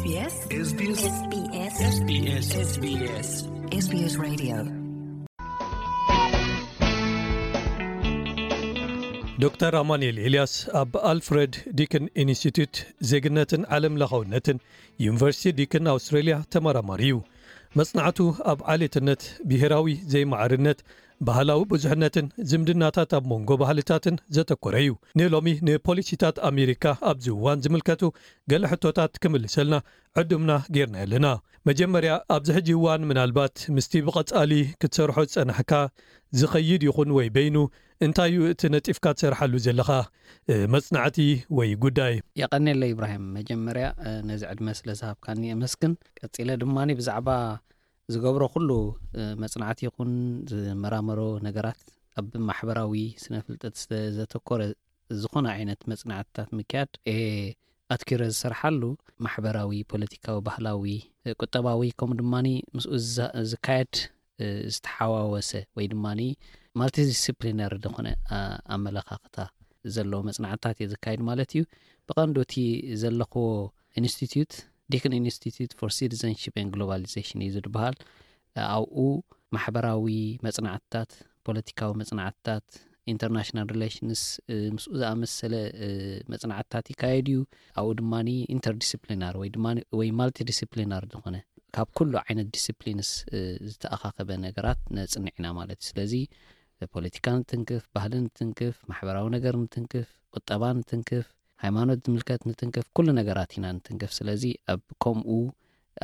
SBS SBS SBS SBS Radio. ዶክተር ኣማኑኤል ኤልያስ ኣብ ኣልፍረድ ዲክን ኢንስቲትዩት ዜግነትን ዓለም ለኻውነትን ዩኒቨርሲቲ ዲክን ኣውስትራልያ ተመራማሪ እዩ። መጽናዕቱ ኣብ ዓሌትነት፣ ብሄራዊ ዘይማዕርነት፣ ባህላዊ ብዙሕነትን ዝምድናታት ኣብ መንጎ ባህልታትን ዘተኮረ እዩ። ንሎሚ ንፖሊሲታት ኣሜሪካ ኣብዚ እዋን ዝምልከቱ ገለ ሕቶታት ክምልሰልና ዕዱምና ጌርና ኣለና። መጀመርያ፣ ኣብዚ ሕጂ እዋን ምናልባት ምስቲ ብቐጻሊ ክትሰርሖ ዝጸናሕካ ዝኸይድ ይኹን ወይ በይኑ፣ እንታይ እዩ እቲ ነጢፍካ ትሰርሓሉ ዘለኻ፣ እ፣ መጽናዕቲ ወይ ጉዳይ? የቐኔለይ ኢብራሂም፣ መጀመርያ፣ እ፣ ነዚ ዕድመ ስለ ዝሃብካኒ የመስግን። ቀጺለ ድማ ብዛዕባ ዝገብሮ ኩሉ፣ እ፣ መጽናዕቲ ይኹን ዝመራመሮ ነገራት ኣብ ማሕበራዊ ስነ ፍልጠት ስለ ዘተኮረ ዝኾነ ዓይነት መጽናዕትታት ምክያድ እየ ኣትኪረ ዝሰርሓሉ። ማሕበራዊ፣ ፖለቲካዊ፣ ባህላዊ፣ እ፣ ቁጠባዊ፣ ከምኡ ድማ ምስኡ ዝዛ-፣ ዝካየድ፣ እ፣ ዝተሓዋወሰ ወይ ድማ ማልቲዲስፕሊነሪ ዝኾነ፣ ኣ-፣ ኣመለኻኽታ ዘለዎ መጽናዕትታት እየ ዝካየድ ማለት እዩ። ብቐንዱ እቲ ዘለኽዎ ኢንስቲትዩት፣ ዲክን ኢንስቲትዩት ፎር ሲቲዘንሺፕ ኤንድ ግሎባሊዜሽን እዩ ዝበሃል። ኣብኡ ማሕበራዊ መጽናዕትታት፣ ፖለቲካዊ መጽናዕትታት፣ ኢንተርናሽናል ሪሌሽንስ፣ እ፣ ምስኡ ዝኣመሰለ፣ እ፣ መጽናዕትታት ይካየድ እዩ። ኣብኡ ድማ ኢንተርዲስፕሊናር ወይ ድማ ወይ ማልቲዲስፕሊናር ዝኾነ ካብ ኩሉ ዓይነት ዲስፕሊንስ፣ እ፣ ዝተኣኻኸበ ነገራት ነጽንዕ ኢና ማለት እዩ። ስለዚ ፖለቲካ ንትንክፍ፣ ባህሊ ንትንክፍ፣ ማሕበራዊ ነገር ንትንክፍ፣ ቁጠባ ንትንክፍ፣ ሃይማኖት ዝምልከት ንትንክፍ፣ ኩሉ ነገራት ኢና ንትንክፍ። ስለዚ ኣብ ከምኡ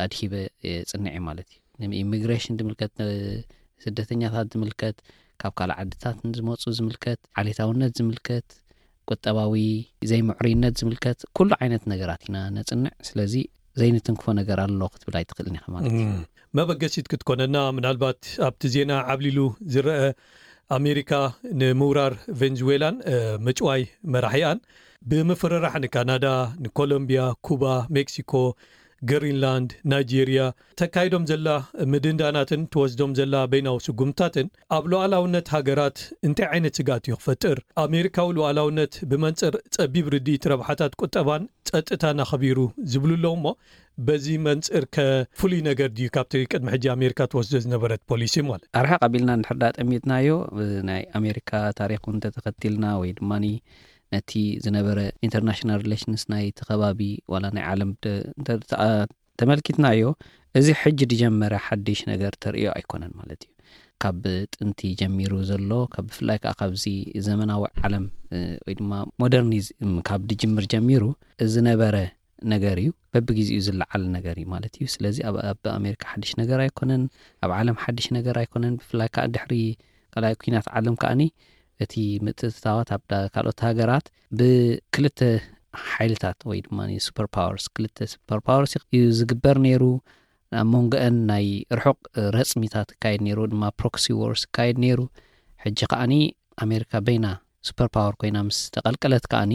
ኣድሂበ፣ እ፣ ጽንዕ እየ ማለት እዩ። ንኢሚግሬሽን ዝምልከት፣ እ፣ ስደተኛታት ዝምልከት፣ ካብ ካልእ ዓድታት ንዝመጹ ዝምልከት፣ ዓሌታውነት ዝምልከት፣ ቁጠባዊ ዘይምዕሩይነት ዝምልከት ኩሉ ዓይነት ነገራት ኢና ነጽንዕ። ስለዚ ዘይንትንክፎ ነገር ኣሎ ክትብል ኣይትኽእልን ኢኻ ማለት እዩ። እም፣ መበገሲት ክትኮነና፣ ምናልባት ኣብቲ ዜና ዓብሊሉ ዝረአ፣ ኣሜሪካ ንምውራር ቬንዙዌላን፣ እ፣ ምጭዋይ መራሒኣን ብምፍርራሕ ንካናዳ፣ ንኮሎምቢያ፣ ኩባ፣ ሜክሲኮ፣ ግሪንላንድ፣ ናይጄርያ ተካይዶም ዘላ ምድንዳናትን ትወስዶም ዘላ በይናዊ ስጉምታትን ኣብ ሉዓላውነት ሃገራት እንታይ ዓይነት ስግኣት እዩ ክፈጥር? ኣሜሪካዊ ሉዓላውነት ብመንጽር ጸቢብ ርድኢት ረብሓታት ቁጠባን ጸጥታን ኣኸቢሩ ዝብሉ ኣለዉ እሞ፣ በዚ መንጽር ከ ፍሉይ ነገር ድዩ ካብቲ ቅድሚ ሕጂ ኣሜሪካ ትወስዶ ዝነበረት ፖሊሲ ማለት? ኣርሓ ቀቢልና እንድሕር ዳ ጠሚትናዮ፣ ብ-፣ ናይ ኣሜሪካ ታሪኽ እውን እንተተኸቲልና ወይ ድማ ነቲ ዝነበረ ኢንተርናሽናል ሪሌሽንስ ናይቲ ከባቢ ዋላ ናይ ዓለም ደ-፣ እንተ ተኣ-፣ ተመልኪትናዮ፣ እዚ ሕጂ ዝጀመረ ሓድሽ ነገር ተርእዮ ኣይኮነን ማለት እዩ። ካብ ጥንቲ ጀሚሩ ዘሎ፣ ካብ፣ ብፍላይ ከዓ ካብዚ ዘመናዊ ዓለም፣ እ፣ ወይ ድማ ሞደርኒዝም ካብ ድጅምር ጀሚሩ ዝነበረ ነገር እዩ። በብግዜኡ ዝለዓል ነገር እዩ ማለት እዩ። ስለዚ ኣብ፣ ኣብ ኣሜሪካ ሓድሽ ነገር ኣይኮነን፣ ኣብ ዓለም ሓድሽ ነገር ኣይኮነን። ብፍላይ ከዓ ድሕሪ ካልኣይ ኩናት ዓለም ከዓኒ እቲ ምትእትታዋት ኣብ ዳ-፣ ካልኦት ሃገራት ብክልተ ሓይልታት ወይ ድማ ሱፐር ፓወርስ፣ ክልተ ሱፐር ፓወርስ እዩ ዝግበር ነይሩ። ኣብ መንጎአን ናይ ርሑቕ ረጽሚታት ይካየድ ነይሩ፣ ድማ ፕሮክሲ ዎርስ ይካየድ ነይሩ። ሕጂ ከዓኒ ኣሜሪካ በይና ሱፐር ፓወር ኮይና ምስ ተቐልቀለት ከዓኒ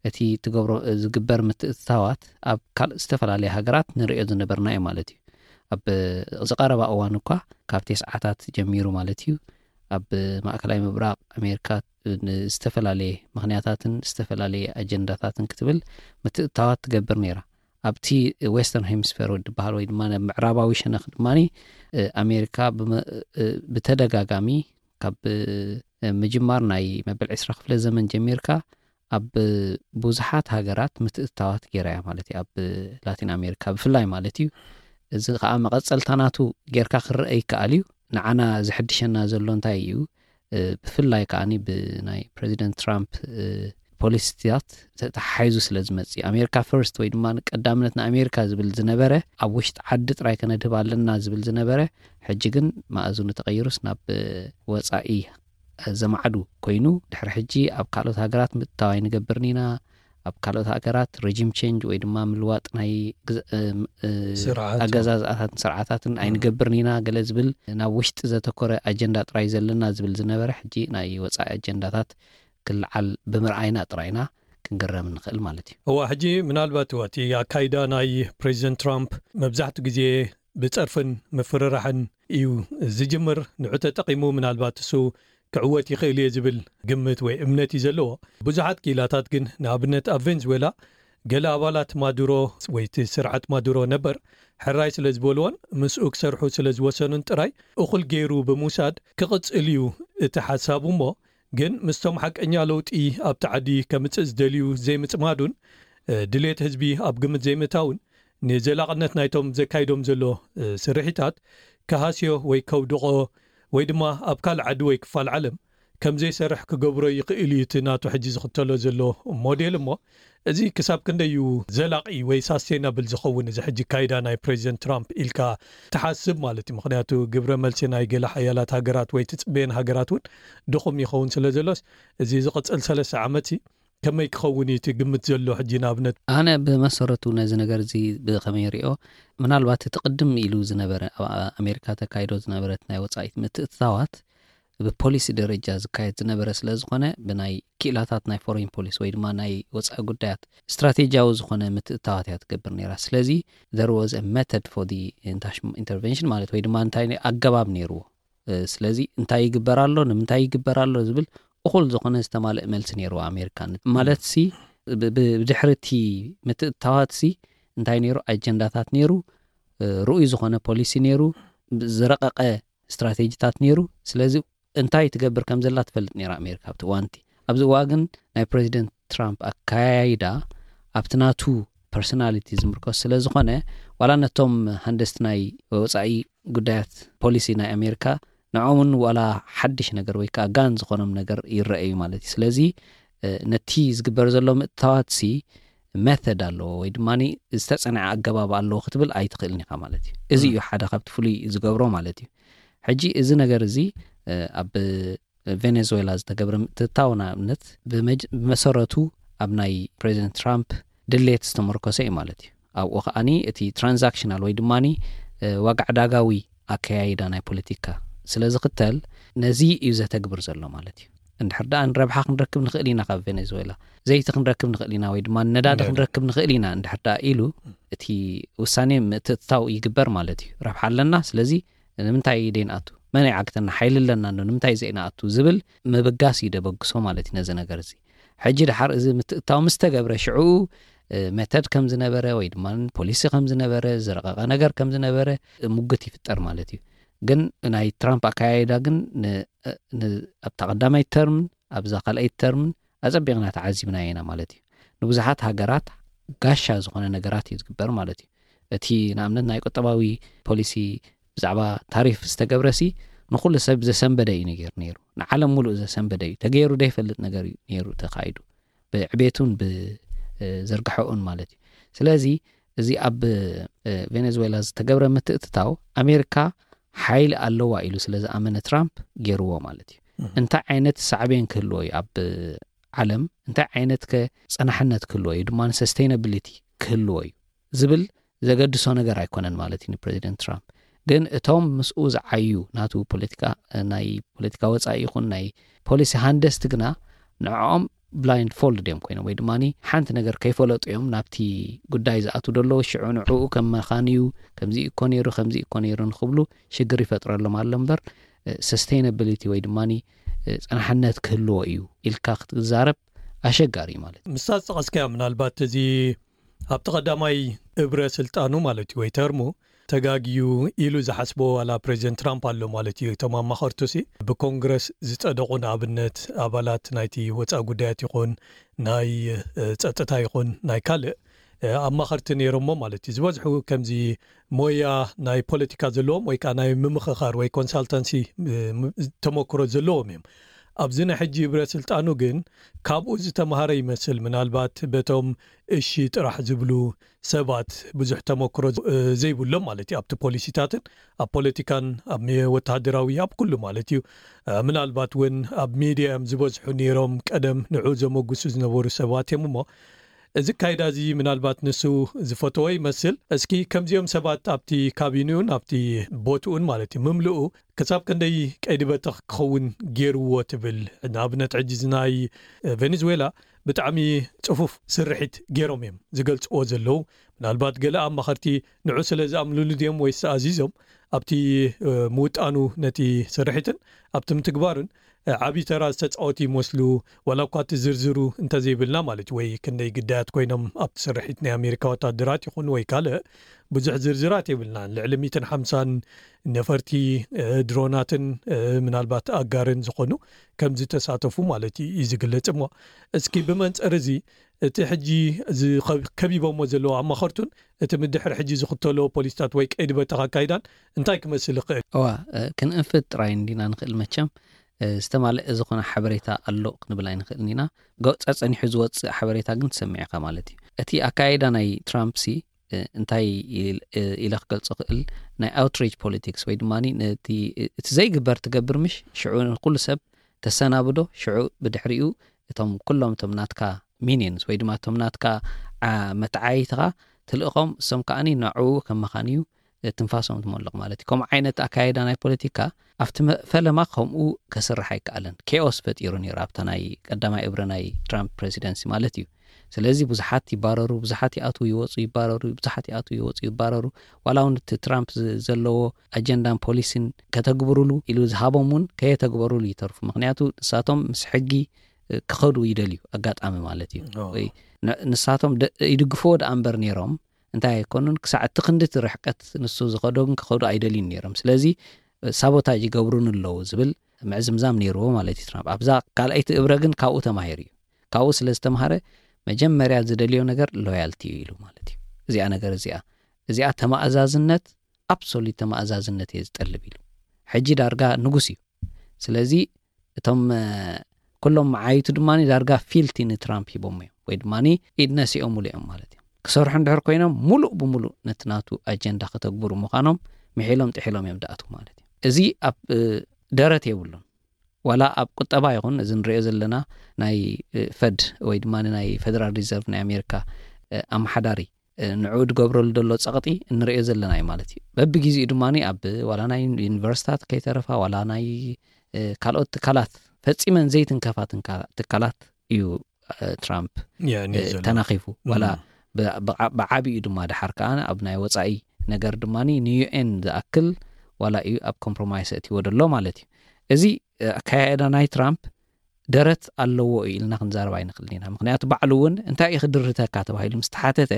እቲ ትገብሮ፣ ዝግበር ምትእትታዋት ኣብ ካልእ ዝተፈላለየ ሃገራት ንርእዮ ዝነበርና እዩ ማለት እዩ። ኣብ ዝቐረባ እዋን እኳ ካብ ቴስዓታት ጀሚሩ ማለት እዩ ኣብ ማእከላይ ምብራቕ ኣሜሪካ ንዝተፈላለየ ምኽንያታትን ዝተፈላለየ ኣጀንዳታትን ክትብል ምትእትታዋት ትገብር ነይራ። ኣብቲ ዌስተርን ሄሚስፌር ዝበሃል ወይ ድማ ናብ ምዕራባዊ ሸነኽ ድማ፣ እ፣ ኣሜሪካ ብመ-፣ እ፣ ብተደጋጋሚ ካብ፣ እ፣ ምጅማር ናይ መበል ዕስራ ክፍለ ዘመን ጀሚርካ ኣብ ብዙሓት ሃገራት ምትእትታዋት ገይራ እያ ማለት እዩ። ኣብ ላቲን ኣሜሪካ ብፍላይ ማለት እዩ። እዚ ከዓ መቐጸልታ ናቱ ጌርካ ክረአ ይከኣል እዩ። ንዓና ዝሕድሸና ዘሎ እንታይ እዩ? እ፣ ብፍላይ ከዓኒ ብናይ ፕሬዚደንት ትራምፕ፣ እ፣ ፖሊሲታት ተተሓሒዙ ስለ ዝመጽእ፣ ኣሜሪካ ፈርስት ወይ ድማ ቀዳምነት ንኣሜሪካ ዝብል ዝነበረ፣ ኣብ ውሽጢ ዓዲ ጥራይ ከነድህብ ኣለና ዝብል ዝነበረ፣ ሕጂ ግን መኣዝኑ ተቐይሩስ ናብ፣ እ፣ ወጻኢ ዘማዕዱ ኮይኑ፣ ድሕሪ ሕጂ ኣብ ካልኦት ሃገራት ምእታው ኣይንገብርን ኢና። ኣብ ካልኦት ሃገራት ሬጂም ቼንጅ ወይ ድማ ምልዋጥ ናይ ግዝ-፣ እ፣ እ፣ ስርዓት። ኣገዛዝኣታትን ስርዓታትን እም። ኣይንገብርን ኢና ገለ ዝብል፣ ናብ ውሽጢ ዘተኮረ ኣጀንዳ ጥራይ ዘለና ዝብል ዝነበረ፣ ሕጂ ናይ ወጻኢ ኣጀንዳታት ክለዓል ብምርኣይና ጥራይ ኢና ክንግረም ንኽእል ማለት እዩ። እዋ፣ ሕጂ ምናልባት እዋ፣ እቲ ኣካይዳ ናይ ፕሬዚደንት ትራምፕ መብዛሕትኡ ግዜ ብጸርፍን ምፍርራሕን እዩ ዝጅምር። ንዑ ተጠቒሙ ምናልባት እሱ ክዕወት ይኽእል እየ ዝብል ግምት ወይ እምነት እዩ ዘለዎ። ብዙሓት ክኢላታት ግን፣ ንኣብነት ኣብ ቬንዙዌላ ገለ ኣባላት ማዱሮ ወይ እቲ ስርዓት ማዱሮ ነበር ሕራይ ስለ ዝበልዎን ምስኡ ክሰርሑ ስለ ዝወሰኑን ጥራይ እኹል ገይሩ ብምውሳድ ክቕጽል እዩ እቲ ሓሳቡ። እሞ ግን ምስቶም ሓቀኛ ለውጢ ኣብቲ ዓዲ ከምጽእ ዝደልዩ ዘይምጽማዱን ድሌት ህዝቢ ኣብ ግምት ዘይምእታውን ንዘላቕነት ናይቶም ዘካይዶም ዘሎ ስርሒታት ክሃስዮ ወይ ከውድቖ ወይ ድማ ኣብ ካልእ ዓዲ ወይ ክፋል ዓለም ከም ዘይሰርሕ ክገብሮ ይኽእል እዩ እቲ ናቱ ሕጂ ዝኽተሎ ዘሎ ሞዴል። እሞ እዚ ክሳብ ክንደይ እዩ ዘላቒ ወይ ሳስቴናብል ዝኸውን እዚ ሕጂ ካይዳ ናይ ፕሬዚደንት ትራምፕ ኢልካ ትሓስብ ማለት እዩ? ምክንያቱ ግብረ መልሲ ናይ ገለ ሓያላት ሃገራት ወይ ትጽበየን ሃገራት እውን ድኹም ይኸውን ስለ ዘሎስ፣ እዚ ዝቕጽል ሰለስተ ዓመት ከመይ ክኸውን እዩ እቲ ግምት ዘሎ? ሕጂ ንኣብነት ኣነ ብመሰረቱ ነዚ ነገር እዚ ብኸመይ ሪኦ፣ ምናልባት እቲ ቅድም ኢሉ ዝነበረ ኣብ ኣሜሪካ ተካይዶ ዝነበረት ናይ ወፃኢት ምትእትታዋት ብፖሊሲ ደረጃ ዝካየድ ዝነበረ ስለ ዝኾነ፣ ብናይ ክኢላታት ናይ ፎሬን ፖሊሲ ወይ ድማ ናይ ወፃኢ ጉዳያት ስትራቴጂያዊ ዝኾነ ምትእትታዋት እያ ትገብር ነይራ። ስለዚ there was a method for the international intervention ማለት ወይ ድማ እንታይ ኣገባብ ነይርዎ። ስለዚ እንታይ ይግበር ኣሎ፣ ንምንታይ ይግበር ኣሎ ዝብል እኹል ዝኾነ ዝተማልእ መልሲ ነይርዎ ኣሜሪካ። ማለት ሲ ብድሕርቲ ምትእትታዋት ሲ እንታይ ነይሩ፣ ኣጀንዳታት ነይሩ፣ ርኡይ ዝኾነ ፖሊሲ ነይሩ፣ ዝረቐቐ ስትራቴጂታት ነይሩ። ስለዚ እንታይ ትገብር ከም ዘላ ትፈልጥ ነይራ ኣሜሪካ ኣብቲ እዋንቲ። ኣብዚ እዋ ግን ናይ ፕሬዚደንት ትራምፕ ኣካያይዳ ኣብቲ ናቱ ፐርሶናሊቲ ዝምርኮስ ስለ ዝኾነ፣ ዋላ ነቶም ሃንደስቲ ናይ ወፃኢ ጉዳያት ፖሊሲ ናይ ኣሜሪካ ንዖምን ዋላ ሓድሽ ነገር ወይ ከዓ ጋን ዝኾኖም ነገር ይረአዩ ማለት እዩ። ስለዚ ነቲ ዝግበር ዘሎ ምእታዋት ሲ መተድ ኣለዎ ወይ ድማ ዝተፀንዐ ኣገባብ ኣለዎ ክትብል ኣይትኽእልን ኢኻ ማለት እዩ። እዚ እዩ ሓደ ካብቲ ፍሉይ ዝገብሮ ማለት እዩ። ሕጂ እዚ ነገር እዚ ኣብ ቬኔዙዌላ ዝተገብረ ምትእትታው ንኣብነት ብመሰረቱ ኣብ ናይ ፕሬዚደንት ትራምፕ ድሌት ዝተመርኮሰ እዩ ማለት እዩ። ኣብኡ ከዓኒ እቲ ትራንዛክሽናል ወይ ድማ ዋጋ ዕዳጋዊ ኣከያይዳ ናይ ፖለቲካ ስለ ዝኽተል ነዚ እዩ ዘተግብር ዘሎ ማለት እዩ። እንድሕር ደኣ ንረብሓ ክንረክብ ንኽእል ኢና ካብ ቬኔዙዌላ፣ ዘይቲ ክንረክብ ንኽእል ኢና ወይ ድማ ነዳዲ ክንረክብ ንኽእል ኢና እንድሕር ደኣ ኢሉ እቲ ውሳኔ ምትእትታው ይግበር ማለት እዩ። ረብሓ ኣለና፣ ስለዚ ንምንታይ ደይንኣቱ፣ መን ይዓግተና፣ ሓይሊ ኣለና ዶ፣ ንምንታይ ዘይንኣቱ ዝብል ምብጋስ እዩ ደበግሶ ማለት እዩ ነዚ ነገር እዚ። ሕጂ ድሓር እዚ ምትእታው ምስ ተገብረ ሽዑ መተድ ከም ዝነበረ ወይ ድማ ፖሊሲ ከም ዝነበረ፣ ዝረቐቐ ነገር ከም ዝነበረ ሙግት ይፍጠር ማለት እዩ። ግን ናይ ትራምፕ ኣካያይዳ ግን ኣብታ ቀዳማይ ተርምን ኣብዛ ካልኣይ ተርምን ኣጸቢቕና ተዓዚብና ኢና ማለት እዩ። ንብዙሓት ሃገራት ጋሻ ዝኾነ ነገራት እዩ ዝግበር ማለት እዩ። እቲ ንኣብነት ናይ ቁጠባዊ ፖሊሲ ብዛዕባ ታሪፍ ዝተገብረሲ ንኹሉ ሰብ ዘሰንበደ እዩ ነገር ነይሩ። ንዓለም ሙሉእ ዘሰንበደ እዩ። ተገይሩ ዘይፈልጥ ነገር እዩ ነይሩ ተኻይዱ። ብዕቤቱን ብዝርግሐኡን ማለት እዩ። ስለዚ እዚ ኣብ ቬኔዙዌላ ዝተገብረ ምትእትታው ኣሜሪካ ሓይሊ ኣለዋ ኢሉ ስለ ዝኣመነ ትራምፕ ገይርዎ ማለት እዩ። እንታይ ዓይነት ሳዕቤን ክህልዎ እዩ ኣብ ዓለም፣ እንታይ ዓይነት ከ ጸናሕነት ክህልዎ እዩ ድማ ሰስቴይናብሊቲ ክህልዎ እዩ ዝብል ዘገድሶ ነገር ኣይኮነን ማለት እዩ ንፕሬዚደንት ትራምፕ። ግን እቶም ምስኡ ዝዓዩ ናቱ ፖለቲካ፣ ናይ ፖለቲካ ወጻኢ ይኹን ናይ ፖሊሲ ሃንደስቲ ግና ንዕኦም ብላይንድ ፎልድ እዮም ኮይኖም ወይ ድማ ሓንቲ ነገር ከይፈለጡ እዮም ናብቲ ጉዳይ ዝኣቱ ደለዉ። ሽዑ ንዕኡ ከም መኻን እዩ፣ ከምዚ እኮ ነይሩ፣ ከምዚ እኮ ነይሩ ንክብሉ ሽግር ይፈጥረሎም ኣሎ እምበር ሰስቴይናብሊቲ ወይ ድማ ጸናሕነት ክህልዎ እዩ ኢልካ ክትዛረብ ኣሸጋሪ እዩ ማለት እዩ። ምስታ ዝጠቐስካያ ምናልባት እዚ ኣብቲ ቀዳማይ እብረ ስልጣኑ ማለት እዩ ወይ ተርሙ ተጋግዩ ኢሉ ዝሓስቦ ዋላ ፕሬዚደንት ትራምፕ ኣሎ ማለት እዩ። እቶም ኣማኸርቱ ሲ ብኮንግረስ ዝጸደቑ ንኣብነት ኣባላት ናይቲ ወፃኢ ጉዳያት ይኹን ናይ ጸጥታ ይኹን ናይ ካልእ ኣማኸርቲ ነይሮሞ ማለት እዩ። ዝበዝሑ ከምዚ ሞያ ናይ ፖለቲካ ዘለዎም ወይ ከዓ ናይ ምምኽኻር ወይ ኮንሳልታንሲ ተመክሮ ዘለዎም እዮም። ኣብዚ ናይ ሕጂ ብረ ስልጣኑ ግን ካብኡ ዝተምሃረ ይመስል። ምናልባት በቶም እሺ ጥራሕ ዝብሉ ሰባት ብዙሕ ተመክሮ ዘይብሎም ማለት እዩ ኣብቲ ፖሊሲታትን ኣብ ፖለቲካን ኣብ ወታደራዊ ኣብ ኩሉ ማለት እዩ። ምናልባት እውን ኣብ ሚድያ እዮም ዝበዝሑ ነይሮም ቀደም ንዑ ዘመጉሱ ዝነበሩ ሰባት እዮም። እሞ እዚ ካይዳ እዚ ምናልባት ንሱ ዝፈተዎ ይመስል። እስኪ ከምዚኦም ሰባት ኣብቲ ካቢንኡን ኣብቲ ቦትኡን ማለት እዩ ምምልኡ ክሳብ ክንደይ ቀይዲ በተኽ ክኸውን ገይርዎ ትብል? ንኣብነት ሕጂ እዚ ናይ ቬኔዙዌላ ብጣዕሚ ጽፉፍ ስርሒት ገይሮም እዮም ዝገልጽዎ ዘለዉ። ምናልባት ገለ ኣማኸርቲ ንዑ ስለ ዝኣምኑሉ ድዮም ወይስ ኣዚዞም ኣብቲ ምውጣኑ ነቲ ስርሒትን ኣብቲ ምትግባሩን ዓብዪ ተራ ዝተፃወቱ ይመስሉ? ዋላ እኳ እቲ ዝርዝሩ እንተዘይብልና ማለት እዩ፣ ወይ ክንደይ ግዳያት ኮይኖም ኣብቲ ስርሒት ናይ ኣሜሪካ ወታደራት ይኹን ወይ ካልእ ብዙሕ ዝርዝራት የብልናን። ልዕሊ ሚእትን ሓምሳን ነፈርቲ፣ ድሮናትን ምናልባት ኣጋርን ዝኾኑ ከም ዝተሳተፉ ማለት እዩ ዝግለጽ። እሞ እስኪ ብመንፅር እዚ እቲ ሕጂ ከቢቦሞ ዘለዉ ኣማኸርቱን እቲ ምድሕሪ ሕጂ ዝኽተሎ ፖሊስታት ወይ ቀይዲ በተኻ ኣካይዳን እንታይ ክመስል ይኽእል? እዋ፣ ክንእንፍት ጥራይ እንዲና ንኽእል። መቸም ዝተማልአ ዝኾነ ሓበሬታ ኣሎ ክንብል ኣይንኽእልን ኢና። ገውፃ ፀኒሑ ዝወፅእ ሓበሬታ ግን ትሰሚዕ ኢኻ ማለት እዩ። እቲ ኣካይዳ ናይ ትራምፕ ሲ እንታይ ኢለ ክገልፆ ክእል? ናይ ኣውትሬጅ ፖሊቲክስ ወይ ድማ እቲ ዘይግበር ትገብር፣ ምሽ ሽዑ ኩሉ ሰብ ተሰናብዶ፣ ሽዑ ብድሕሪኡ እቶም ኩሎም እቶም ናትካ ሚኒንስ ወይ ድማ እቶም ናትካ መተዓይትኻ ትልእኾም፣ እሶም ከዓኒ ናዕኡ ከም መኻን እዩ ትንፋሶም ትመልቕ ማለት እዩ። ከምኡ ዓይነት ኣካየዳ ናይ ፖለቲካ ኣብቲ ፈለማ ከምኡ ከስርሕ ኣይከኣለን። ኬኦስ ፈጢሩ ነይሩ ኣብታ ናይ ቀዳማይ እብረ ናይ ትራምፕ ፕሬዚደንሲ ማለት እዩ። ስለዚ ብዙሓት ይባረሩ፣ ብዙሓት ይኣትዉ ይወፁ ይባረሩ፣ ብዙሓት ይኣትዉ ይወፁ ይባረሩ። ዋላ እውን እቲ ትራምፕ ዘለዎ ኣጀንዳን ፖሊሲን ከተግብሩሉ ኢሉ ዝሃቦም እውን ከየተግበሩሉ ይተርፉ። ምክንያቱ ንሳቶም ምስ ሕጊ ክኸዱ ይደልዩ፣ ኣጋጣሚ ማለት እዩ። ወይ ንሳቶም ይድግፍዎ ደኣ እምበር ነይሮም እንታይ ኣይኮኑን፣ ክሳዕ እቲ ክንዲ እቲ ርሕቀት ንሱ ዝኸዶ ግን ክኸዱ ኣይደልዩን ነይሮም። ስለዚ ሳቦታጅ ይገብሩን ኣለዉ ዝብል ምዕዝምዛም ነይርዎ ማለት እዩ ትራምፕ። ኣብዛ ካልኣይቲ እብረ ግን ካብኡ ተማሂሩ እዩ። ካብኡ ስለ ዝተምሃረ መጀመርያ ዝደልዮ ነገር ሎያልቲ እዩ ኢሉ ማለት እዩ። እዚኣ ነገር እዚኣ እዚኣ ተማእዛዝነት፣ ኣብሶሉት ተማእዛዝነት እየ ዝጠልብ ኢሉ። ሕጂ ዳርጋ ንጉስ እዩ። ስለዚ እቶም ኩሎም መዓይቱ ድማ ዳርጋ ፊልቲ ንትራምፕ ሂቦም እዮም ወይ ድማ ኢድ ነሲኦምሉ እዮም ማለት እዮም። ክሰርሑ እንድሕር ኮይኖም ሙሉእ ብሙሉእ ነቲ ናቱ ኣጀንዳ ከተግብሩ ምዃኖም ምሒሎም ጥሒሎም እዮም ዝኣትዉ ማለት እዩ። እዚ ኣብ ደረት የብሉን። ዋላ ኣብ ቁጠባ ይኹን እዚ ንሪኦ ዘለና ናይ ፈድ ወይ ድማ ናይ ፌደራል ሪዘርቭ ናይ ኣሜሪካ ኣመሓዳሪ ንዕኡ ዝገብረሉ ዘሎ ጸቕጢ እንሪኦ ዘለና እዩ ማለት እዩ። በብግዜኡ ድማ ኣብ ዋላ ናይ ዩኒቨርሲታት ከይተረፋ ዋላ ናይ ካልኦት ትካላት ፈጺመን ዘይትንከፋ ትካላት እዩ ትራምፕ ተናኺፉ። ዋላ ብዓቢኡ ድማ ድሓር ከዓ ኣብ ናይ ወፃኢ ነገር ድማ ንዩኤን ዝኣክል ዋላ እዩ ኣብ ኮምፕሮማይስ እትዎ ደሎ ማለት እዩ። እዚ ኣካያየዳ ናይ ትራምፕ ደረት ኣለዎ እዩ ኢልና ክንዛረብ ኣይንኽእልን ኢና። ምክንያቱ ባዕሉ እውን እንታይ እዩ ክድርተካ ተባሂሉ ምስ ተሓተተ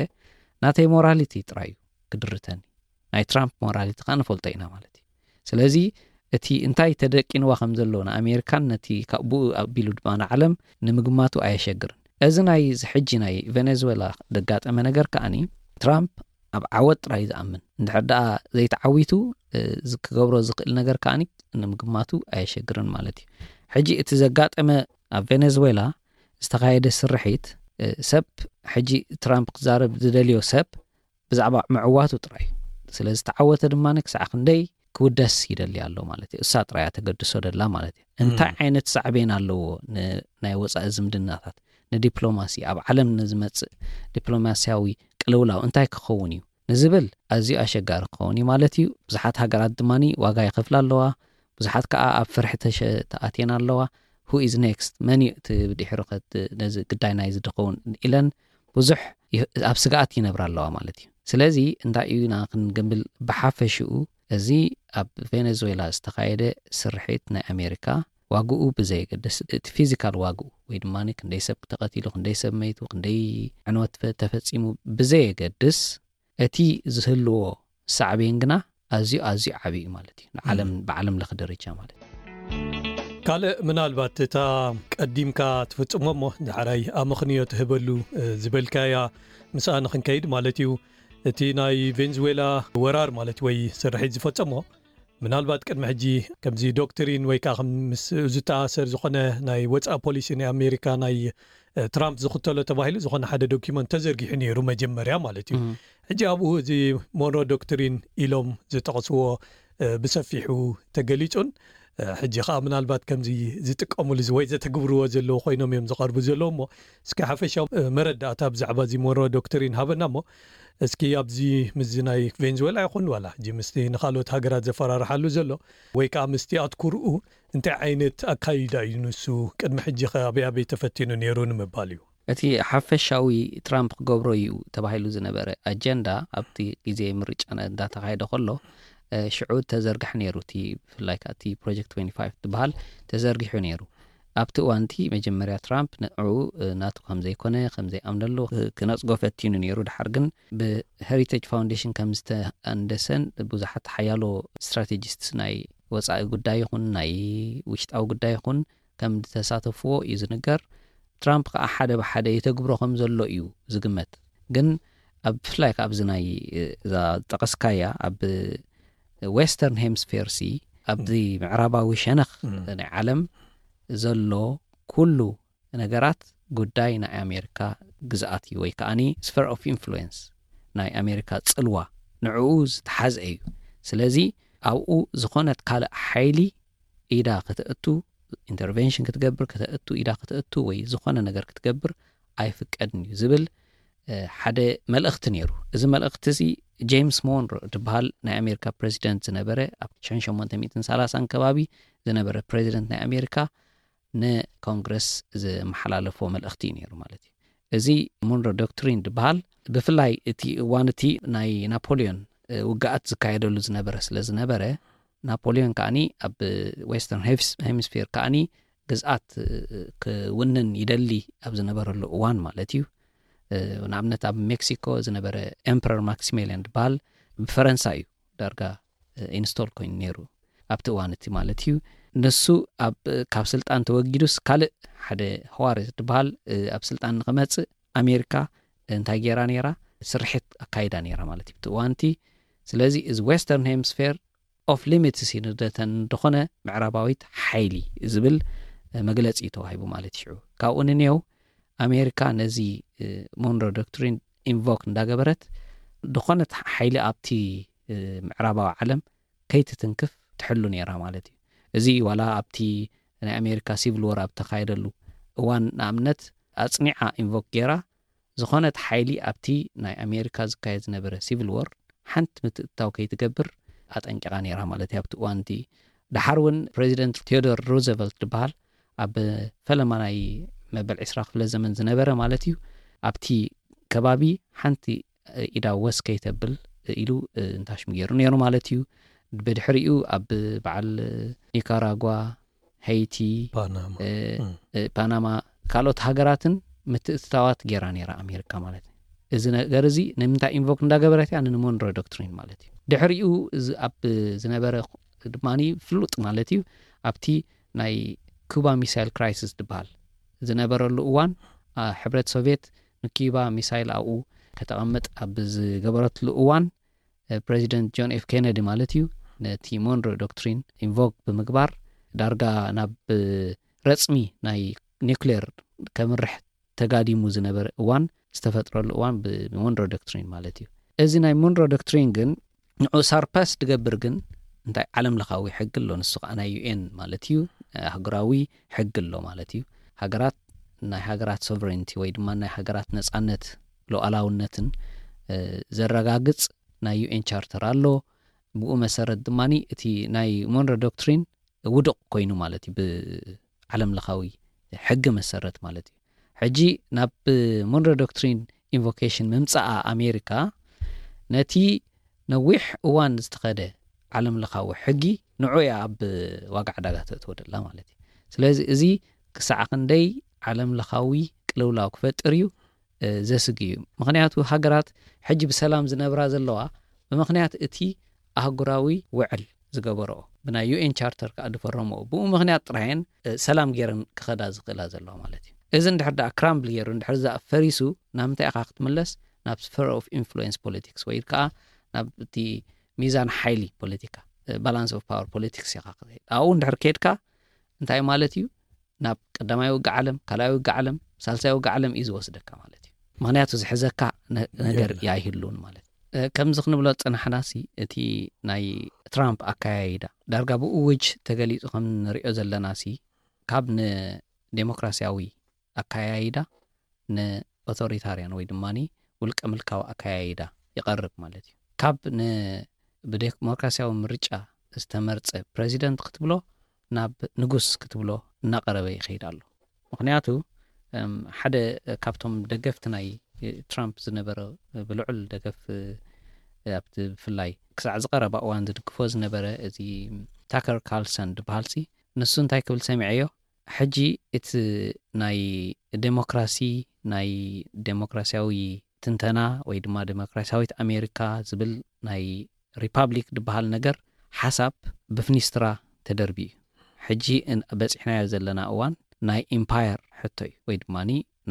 ናተይ ሞራሊቲ ጥራይ እዩ ክድርተኒ፣ ናይ ትራምፕ ሞራሊቲ ከዓ ንፈልጦ ኢና ማለት እዩ። ስለዚ እቲ እንታይ ተደቂንዋ ከም ዘሎ ንኣሜሪካን ነቲ ብኡ ኣቢሉ ድማ ንዓለም ንምግማቱ ኣየሸግርን። እዚ ናይ ሕጂ ናይ ቬኔዙዌላ ዘጋጠመ ነገር ከዓኒ ትራምፕ ኣብ ዓወት ጥራይ ዝኣምን፣ እንድሕር ደኣ ዘይተዓዊቱ ክገብሮ ዝኽእል ነገር ከዓኒ ንምግማቱ ኣየሸግርን ማለት እዩ። ሕጂ እቲ ዘጋጠመ ኣብ ቬኔዙዌላ ዝተኻየደ ስርሒት ሰብ ሕጂ ትራምፕ ክዛረብ ዝደልዮ ሰብ ብዛዕባ ምዕዋቱ ጥራይ እዩ። ስለዝተዓወተ ድማ ክሳዕ ክንደይ ክውደስ ይደሊ ኣሎ ማለት እዩ። እሳ ጥራያ ተገድሶ ደላ ማለት እዩ። እንታይ ዓይነት ሳዕቤን ኣለዎ ንናይ ወፃኢ ዝምድናታት፣ ንዲፕሎማሲ፣ ኣብ ዓለም ንዝመፅእ ዲፕሎማሲያዊ ቅልውላው እንታይ ክኸውን እዩ ንዝብል ኣዝዩ ኣሸጋሪ ክኸውን እዩ ማለት እዩ። ብዙሓት ሃገራት ድማ ዋጋ ይኸፍላ ኣለዋ። ብዙሓት ከዓ ኣብ ፍርሒ ተኣትየን ኣለዋ። Who is next? መን እዩ እቲ ብድሕሩ ነዚ ግዳይ ናይ ዝድኸውን ኢለን ብዙሕ ኣብ ስግኣት ይነብራ ኣለዋ ማለት እዩ። ስለቲ እንታይ እዩ ኢና ክንብል ብሓፈሽኡ እዚ ኣብ ቬኔዙዌላ ዝተኻየደ ስርሒት ናይ ኣሜሪካ ዋግኡ ብዘየገድስ፣ እቲ ፊዚካል ዋግኡ ወይ ድማ ክንደይ ሰብ ተቐቲሉ፣ ክንደይ ሰብ መይቱ፣ ክንደይ ዕንወት ተፈፂሙ ብዘየገድስ እቲ ዝህልዎ ሳዕቤን ግና ኣዝዩ ኣዝዩ ዓብዪ እዩ ማለት እዩ። ንዓለም ብዓለም ለኸ ደረጃ ማለት እዩ። ካልእ ምናልባት እታ ቀዲምካ ትፍጽሞ እሞ ዳሕራይ ኣመኽንዮ ትህበሉ ዝበልካያ ምስኣ ንኽንከይድ ማለት እዩ። እቲ ናይ ቬንዙዌላ ወራር ማለት ወይ ስርሒት ዝፈጸሞ ምናልባት ቅድሚ ሕጂ ከምዚ ዶክትሪን ወይ ከዓ ምስ ዝተኣሰር ዝኾነ ናይ ወፃኢ ፖሊሲ ናይ ኣሜሪካ ናይ ትራምፕ ዝኽተሎ ተባሂሉ ዝኾነ ሓደ ዶኪመንት ተዘርጊሑ ነይሩ መጀመርያ ማለት እዩ። ሕጂ ኣብኡ እዚ ሞንሮ ዶክትሪን ኢሎም ዝጠቕስዎ ብሰፊሑ ተገሊጹን ሕጂ ከዓ ምናልባት ከምዚ ዝጥቀሙሉ ወይ ዘተግብርዎ ዘለዉ ኮይኖም እዮም ዝቐርቡ ዘለዉ። እሞ እስኪ ሓፈሻዊ መረዳእታ ብዛዕባ እዚ ሞንሮ ዶክትሪን ሃበና እሞ እስኪ ኣብዚ ምስዚ ናይ ቬንዙዌላ ይኹን ዋላ ሕጂ ምስቲ ንካልኦት ሃገራት ዘፈራርሓሉ ዘሎ ወይ ከዓ ምስቲ ኣትኩርኡ እንታይ ዓይነት ኣካይዳ እዩ ንሱ ቅድሚ ሕጂ ከ ኣበይ ኣበይ ተፈቲኑ ነይሩ ንምባል እዩ። እቲ ሓፈሻዊ ትራምፕ ክገብሮ እዩ ተባሂሉ ዝነበረ ኣጀንዳ ኣብቲ ግዜ ምርጫ እንዳተኻየደ ከሎ ሽዑ ተዘርግሐ ነይሩ። እቲ ብፍላይ እቲ ፕሮጀክት ትወንቲ ፋይቭ ዝበሃል ተዘርጊሑ ነይሩ። ኣብቲ እዋንቲ መጀመርያ ትራምፕ ንዑ ናቱ ከም ዘይኮነ ከም ዘይኣምነሉ ክነፅጎ ፈቲኑ ነይሩ። ድሓር ግን ብሄሪቴጅ ፋውንዴሽን ከም ዝተኣንደሰን ብዙሓት ሓያሎ ስትራቴጂስት ናይ ወፃኢ ጉዳይ ይኹን ናይ ውሽጣዊ ጉዳይ ይኹን ከም ዝተሳተፍዎ እዩ ዝንገር። ትራምፕ ከዓ ሓደ ብሓደ የተግብሮ ከም ዘሎ እዩ ዝግመት። ግን ኣብ ብፍላይ ኣብዚ ናይ እዛ ጠቀስካያ ኣብ ዌስተርን ሄምስፌር ሲ ኣብዚ ምዕራባዊ ሸነኽ ናይ ዓለም ዘሎ ኩሉ ነገራት ጉዳይ ናይ ኣሜሪካ ግዝኣት እዩ ወይ ከዓኒ ስፈር ኦፍ ኢንፍሉዌንስ ናይ ኣሜሪካ ፅልዋ ንዕኡ ዝተሓዘ እዩ። ስለዚ ኣብኡ ዝኾነት ካልእ ሓይሊ ኢዳ ከተእቱ ኢንተርቨንሽን ክትገብር ከተእቱ ኢዳ ከተእቱ ወይ ዝኾነ ነገር ክትገብር ኣይፍቀድን እዩ ዝብል ሓደ መልእኽቲ ነይሩ። እዚ መልእኽቲ እዚ ጄምስ ሞንሮ ዝበሃል ናይ ኣሜሪካ ፕሬዚደንት ዝነበረ ኣብ ሽሕን ሸሞንተ ሚእትን ሰላሳን ከባቢ ዝነበረ ፕሬዚደንት ናይ ኣሜሪካ ንኮንግረስ ዝመሓላለፎ መልእኽቲ እዩ ነይሩ ማለት እዩ። እዚ ሞንሮ ዶክትሪን ዝበሃል ብፍላይ እቲ እዋን እቲ ናይ ናፖሊዮን ውግኣት ዝካየደሉ ዝነበረ ስለ ዝነበረ ናፖሊዮን ከዓኒ ኣብ ዌስተርን ሄምስፌር ከዓኒ ግዝኣት ክውንን ይደሊ ኣብ ዝነበረሉ እዋን ማለት እዩ። ንኣብነት ኣብ ሜክሲኮ ዝነበረ ኤምፐረር ማክሲሜሊያን ዝበሃል ብፈረንሳ እዩ ዳርጋ ኢንስቶል ኮይኑ ነይሩ ኣብቲ እዋን እቲ ማለት እዩ። ንሱ ኣብ ካብ ስልጣን ተወጊዱስ ካልእ ሓደ ህዋርት ዝበሃል ኣብ ስልጣን ንክመፅእ ኣሜሪካ እንታይ ገይራ ነይራ? ስርሒት ኣካይዳ ነይራ ማለት እዩ ኣብቲ እዋን እቲ። ስለዚ እዚ ዌስተርን ሄምስፌር ኦፍ ሊሚትስ ይንደተን እንደኾነ ምዕራባዊት ሓይሊ ዝብል መግለፂ እዩ ተዋሂቡ ማለት እዩ። ካብኡ ንኔው ኣሜሪካ ነዚ ሞንሮ ዶክትሪን ኢንቮክ እንዳገበረት ዝኾነት ሓይሊ ኣብቲ ምዕራባዊ ዓለም ከይትትንክፍ ትሕሉ ነይራ ማለት እዩ። እዚ ዋላ ኣብቲ ናይ ኣሜሪካ ሲቪል ወር ኣብ ተኻየደሉ እዋን ንኣብነት ኣፅኒዓ ኢንቮክ ገይራ ዝኾነት ሓይሊ ኣብቲ ናይ ኣሜሪካ ዝካየድ ዝነበረ ሲቪል ወር ሓንቲ ምትእትታው ከይትገብር ኣጠንቂቓ ነይራ ማለት እዩ ኣብቲ እዋን እቲ። ድሓር እውን ፕሬዚደንት ቴዎዶር ሩዘቨልት ዝበሃል ኣብ ፈለማ ናይ መበል ዕስራ ክፍለ ዘመን ዝነበረ ማለት እዩ ኣብቲ ከባቢ ሓንቲ ኢዳ ወስ ከይተብል ኢሉ እንታሽሙ ገይሩ ነይሩ ማለት እዩ። ብድሕሪኡ ኣብ በዓል ኒካራጓ፣ ሄይቲ፣ ፓናማ ካልኦት ሃገራትን ምትእትታዋት ገይራ ነይራ ኣሜሪካ ማለት እዩ። እዚ ነገር እዚ ንምንታይ ኢንቮክ እንዳገበረት እያ? ንሞንሮ ዶክትሪን ማለት እዩ። ድሕሪኡ ኣብ ዝነበረ ድማ ፍሉጥ ማለት እዩ ኣብቲ ናይ ኩባ ሚሳይል ክራይሲስ ዝበሃል ዝነበረሉ እዋን ሕብረት ሶቪየት ንኪባ ሚሳይል ኣብኡ ከተቐምጥ ኣብ ዝገበረትሉ እዋን ፕሬዚደንት ጆን ኤፍ ኬነዲ ማለት እዩ ነቲ ሞንሮ ዶክትሪን ኢንቮክ ብምግባር ዳርጋ ናብ ረፅሚ ናይ ኒክሌር ከምርሕ ተጋዲሙ ዝነበረ እዋን ዝተፈጥረሉ እዋን ብሞንሮ ዶክትሪን ማለት እዩ። እዚ ናይ ሞንሮ ዶክትሪን ግን ንዑ ሳርፓስ ድገብር ግን እንታይ ዓለም ለኻዊ ሕጊ ኣሎ። ንሱ ከዓ ናይ ዩኤን ማለት እዩ ኣህጉራዊ ሕጊ ኣሎ ማለት እዩ። ሃገራት ናይ ሃገራት ሶቨሬንቲ ወይ ድማ ናይ ሃገራት ነፃነት ሉዓላውነትን ዘረጋግፅ ናይ ዩኤን ቻርተር ኣሎ። ብኡ መሰረት ድማ እቲ ናይ ሞንሮ ዶክትሪን ውዱቕ ኮይኑ ማለት እዩ ብዓለም ለኻዊ ሕጊ መሰረት ማለት እዩ። ሕጂ ናብ ሞንሮ ዶክትሪን ኢንቮኬሽን ምምፃኣ ኣሜሪካ ነቲ ነዊሕ እዋን ዝተኸደ ዓለም ለኻዊ ሕጊ ንዑ እያ ኣብ ዋጋ ዕዳጋ ተእትወ ደላ ማለት እዩ። ስለዚ እዚ ክሳዕ ክንደይ ዓለም ለኻዊ ቅልውላው ክፈጥር እዩ ዘስግ እዩ። ምክንያቱ ሃገራት ሕጂ ብሰላም ዝነብራ ዘለዋ ብምክንያት እቲ ኣህጉራዊ ውዕል ዝገበረኦ ብናይ ዩኤን ቻርተር ከዓ ዝፈረመኦ ብኡ ምክንያት ጥራየን ሰላም ገይረን ክኸዳ ዝኽእላ ዘለዋ ማለት እዩ። እዚ እንድሕር ደኣ ክራምብል ገይሩ እንድሕር ዛ ፈሪሱ ናብ ምንታይ ኢኻ ክትምለስ? ናብ ስፈር ኦፍ ኢንፍሉዌንስ ፖለቲክስ ወይ ከዓ ናብ እቲ ሚዛን ሓይሊ ፖለቲካ ባላንስ ኦፍ ፓወር ፖለቲክስ ኢኻ ክትኸይድ። ኣብኡ እንድሕር ከድካ እንታይ ማለት እዩ? ናብ ቀዳማይ ውግእ ዓለም ካልኣይ ውግእ ዓለም ሳልሳይ ውግእ ዓለም እዩ ዝወስደካ ማለት እዩ። ምክንያቱ ዝሕዘካ ነገር ኣይህሉን ማለት ከምዚ ክንብሎ ዝፅናሕናሲ እቲ ናይ ትራምፕ ኣካያይዳ ዳርጋ ብእውጅ ተገሊፁ ከም ንሪኦ ዘለናሲ ካብ ንዴሞክራሲያዊ ኣካያይዳ ንኦቶሪታርያን ወይ ድማ ውልቀ ምልካዊ ኣካያይዳ ይቐርብ ማለት እዩ። ካብ ብዴሞክራሲያዊ ምርጫ ዝተመርፀ ፕሬዚደንት ክትብሎ ናብ ንጉስ ክትብሎ እናቀረበ ይኸይድ ኣሎ። ምክንያቱ ሓደ ካብቶም ደገፍቲ ናይ ትራምፕ ዝነበረ፣ ብልዑል ደገፍ ኣብቲ ብፍላይ ክሳዕ ዝቐረባ እዋን ዝድግፎ ዝነበረ እዚ ታከር ካርልሰን ዝበሃል ሲ፣ ንሱ እንታይ ክብል ሰሚዐዮ፣ ሕጂ እቲ ናይ ዴሞክራሲ፣ ናይ ዴሞክራሲያዊ ትንተና ወይ ድማ ዴሞክራሲያዊት ኣሜሪካ ዝብል ናይ ሪፓብሊክ ዝበሃል ነገር ሓሳብ ብፍኒስትራ ተደርቢ እዩ። ሕጂ በፂሕናዮ ዘለና እዋን ናይ ኢምፓየር ሕቶ እዩ፣ ወይ ድማ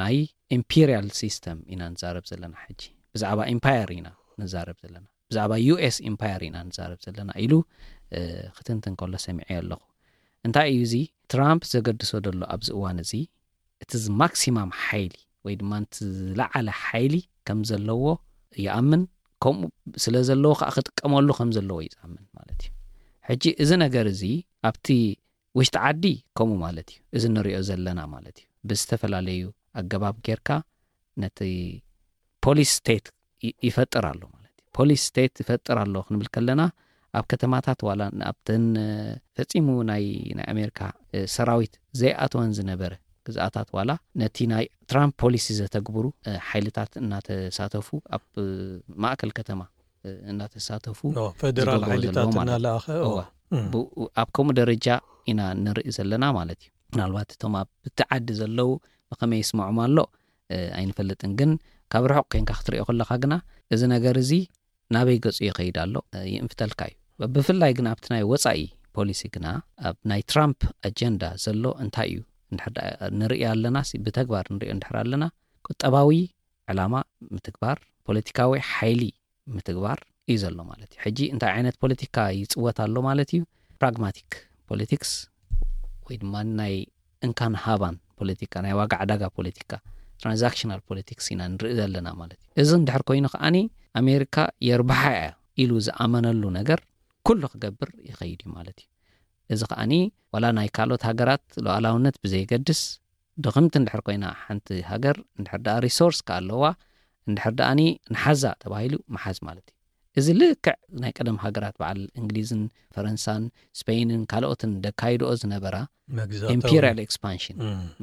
ናይ ኢምፔሪያል ሲስተም ኢና ንዛረብ ዘለና። ሕጂ ብዛዕባ ኢምፓየር ኢና ንዛረብ ዘለና፣ ብዛዕባ ዩ ኤስ ኢምፓየር ኢና ንዛረብ ዘለና ኢሉ ክትንትን ከሎ ሰሚዐ ኣለኹ። እንታይ እዩ እዚ? ትራምፕ ዘገድሶ ዘሎ ኣብዚ እዋን እዚ እቲ ማክሲማም ሓይሊ ወይ ድማ እቲ ዝለዓለ ሓይሊ ከም ዘለዎ ይኣምን፣ ከምኡ ስለ ዘለዎ ከዓ ክጥቀመሉ ከም ዘለዎ እዩ ዝኣምን ማለት እዩ። ሕጂ እዚ ነገር እዚ ኣብቲ ውሽጢ ዓዲ ከምኡ ማለት እዩ፣ እዚ ንሪኦ ዘለና ማለት እዩ። ብዝተፈላለዩ ኣገባብ ጌርካ ነቲ ፖሊስ ስቴት ይፈጥር ኣሎ ማለት እዩ። ፖሊስ ስቴት ይፈጥር ኣሎ ክንብል ከለና ኣብ ከተማታት ዋላ ኣብተን ፈፂሙ ናይ ናይ ኣሜሪካ ሰራዊት ዘይኣተወን ዝነበረ ግዝኣታት ዋላ ነቲ ናይ ትራምፕ ፖሊሲ ዘተግብሩ ሓይልታት እናተሳተፉ ኣብ ማእከል ከተማ እናተሳተፉ ፌደራል ሓይልታት እናለኣኸ ኣብ ከምኡ ደረጃ ኢና ንርኢ ዘለና ማለት እዩ። ምናልባት እቶም ኣብ እቲ ዓዲ ዘለዉ ብኸመይ ይስምዖም ኣሎ ኣይንፈልጥን፣ ግን ካብ ርሑቕ ኮንካ ክትሪኦ ከለኻ ግና እዚ ነገር እዚ ናበይ ገፁ ይኸይድ ኣሎ ይእንፍተልካ እዩ። ብፍላይ ግን ኣብቲ ናይ ወፃኢ ፖሊሲ ግና ኣብ ናይ ትራምፕ ኣጀንዳ ዘሎ እንታይ እዩ ንርኢ ኣለና፣ ብተግባር ንሪኦ እንድሕር ኣለና ቁጠባዊ ዕላማ ምትግባር፣ ፖለቲካዊ ሓይሊ ምትግባር እዩ ዘሎ ማለት እዩ። ሕጂ እንታይ ዓይነት ፖለቲካ ይፅወት ኣሎ ማለት እዩ? ፕራግማቲክ ፖለቲክስ ወይ ድማ ናይ እንካን ሃባን ፖለቲካ፣ ናይ ዋጋ ዕዳጋ ፖለቲካ፣ ትራንዛክሽናል ፖለቲክስ ኢና ንርኢ ዘለና ማለት እዩ። እዚ እንድሕር ኮይኑ ከዓኒ ኣሜሪካ የርብሓ እያ ኢሉ ዝኣመነሉ ነገር ኩሉ ክገብር ይኸይድ እዩ ማለት እዩ። እዚ ከዓኒ ዋላ ናይ ካልኦት ሃገራት ሉዓላውነት ብዘየገድስ ድኽምቲ እንድሕር ኮይና ሓንቲ ሃገር እንድሕር ደኣ ሪሶርስ ከኣለዋ እንድሕር ደኣኒ ንሓዛ ተባሂሉ ምሓዝ ማለት እዩ። እዚ ልክዕ ናይ ቀደም ሃገራት በዓል እንግሊዝን ፈረንሳን ስፔይንን ካልኦትን ደካይድኦ ዝነበራ ኢምፔሪያል ኤክስፓንሽን፣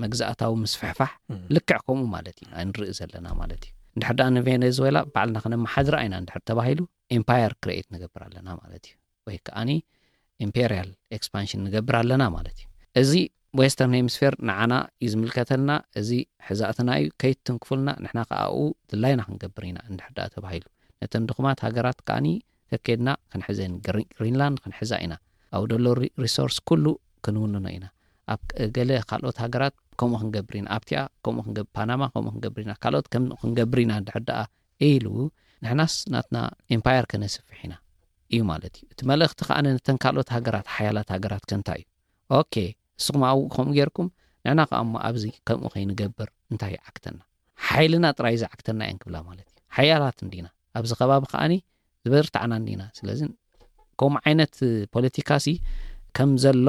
መግዛእታዊ ምስፍሕፋሕ ልክዕ ከምኡ ማለት እዩ ንርኢ ዘለና ማለት እዩ። እንድሕር ደኣ ንቬኔዙዌላ ባዕልና ክነመሓድራ ኢና እንድሕር ተባሂሉ ኤምፓየር ክሬኤት ንገብር ኣለና ማለት እዩ። ወይ ከዓኒ ኢምፔሪያል ኤክስፓንሽን ንገብር ኣለና ማለት እዩ። እዚ ዌስተርን ሄምስፌር ንዓና እዩ ዝምልከተልና፣ እዚ ሕዛእትና እዩ፣ ከይትንክፉልና፣ ንሕና ከኣኡ ድላይና ክንገብር ኢና እንድሕር ደኣ ተባሂሉ ነተን ድኹማት ሃገራት ከዓኒ ከኬድና ክንሕዘን፣ ግሪንላንድ ክንሕዛ ኢና፣ ኣብኡ ደሎ ሪሶርስ ኩሉ ክንውንኖ ኢና፣ ኣብ ገለ ካልኦት ሃገራት ከምኡ ክንገብር ኢና፣ ኣብቲኣ ከምኡ ክንገብር፣ ፓናማ ከምኡ ክንገብር ኢና፣ ካልኦት ከም ክንገብር ኢና እንድሕር ደኣ ኢሉ ንሕናስ ናትና ኤምፓየር ከነስፍሕ ኢና እዩ ማለት እዩ። እቲ መልእኽቲ ከዓ ነተን ካልኦት ሃገራት፣ ሓያላት ሃገራት ከ እንታይ እዩ? ኦኬ፣ ንስኹም ኣብኡ ከምኡ ጌርኩም ንሕና ከዓ እሞ ኣብዚ ከምኡ ከይንገብር እንታይ ይዓግተና? ሓይልና ጥራይ ዝዓግተና እየን ክብላ ማለት እዩ። ሓያላት እንዲና ኣብዚ ከባቢ ከዓኒ ዝበርታዕና እንዲና። ስለዚ ከምኡ ዓይነት ፖለቲካ ሲ ከም ዘሎ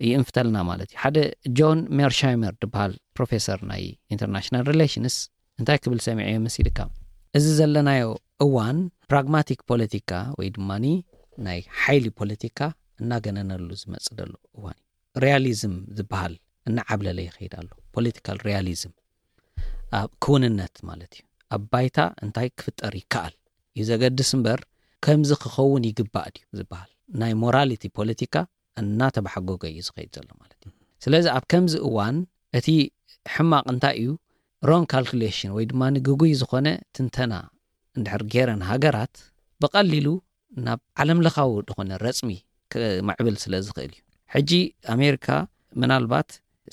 ይእንፍተልና ማለት እዩ። ሓደ ጆን ሜርሻይመር ዝበሃል ፕሮፌሰር ናይ ኢንተርናሽናል ሪሌሽንስ እንታይ ክብል ሰሚዐዮ መሲልካ? እዚ ዘለናዮ እዋን ፕራግማቲክ ፖለቲካ ወይ ድማ ናይ ሓይሊ ፖለቲካ እናገነነሉ ዝመፅእ ዘሎ እዋን እዩ። ሪያሊዝም ዝበሃል እናዓብለለ ይኸይድ ኣሎ። ፖለቲካል ሪያሊዝም ኣብ ክውንነት ማለት እዩ። ኣብ ባይታ እንታይ ክፍጠር ይከኣል እዩ ዘገድስ እምበር ከምዚ ክኸውን ይግባእ ድዩ ዝበሃል ናይ ሞራሊቲ ፖለቲካ እናተባሓጎገ እዩ ዝኸይድ ዘሎ ማለት እዩ። ስለዚ ኣብ ከምዚ እዋን እቲ ሕማቕ እንታይ እዩ? ሮንግ ካልኩሌሽን ወይ ድማ ግጉይ ዝኾነ ትንተና እንድሕር ገይረን ሃገራት ብቐሊሉ ናብ ዓለምለኻዊ ዝኾነ ረፅሚ ክምዕብል ስለ ዝኽእል እዩ። ሕጂ ኣሜሪካ ምናልባት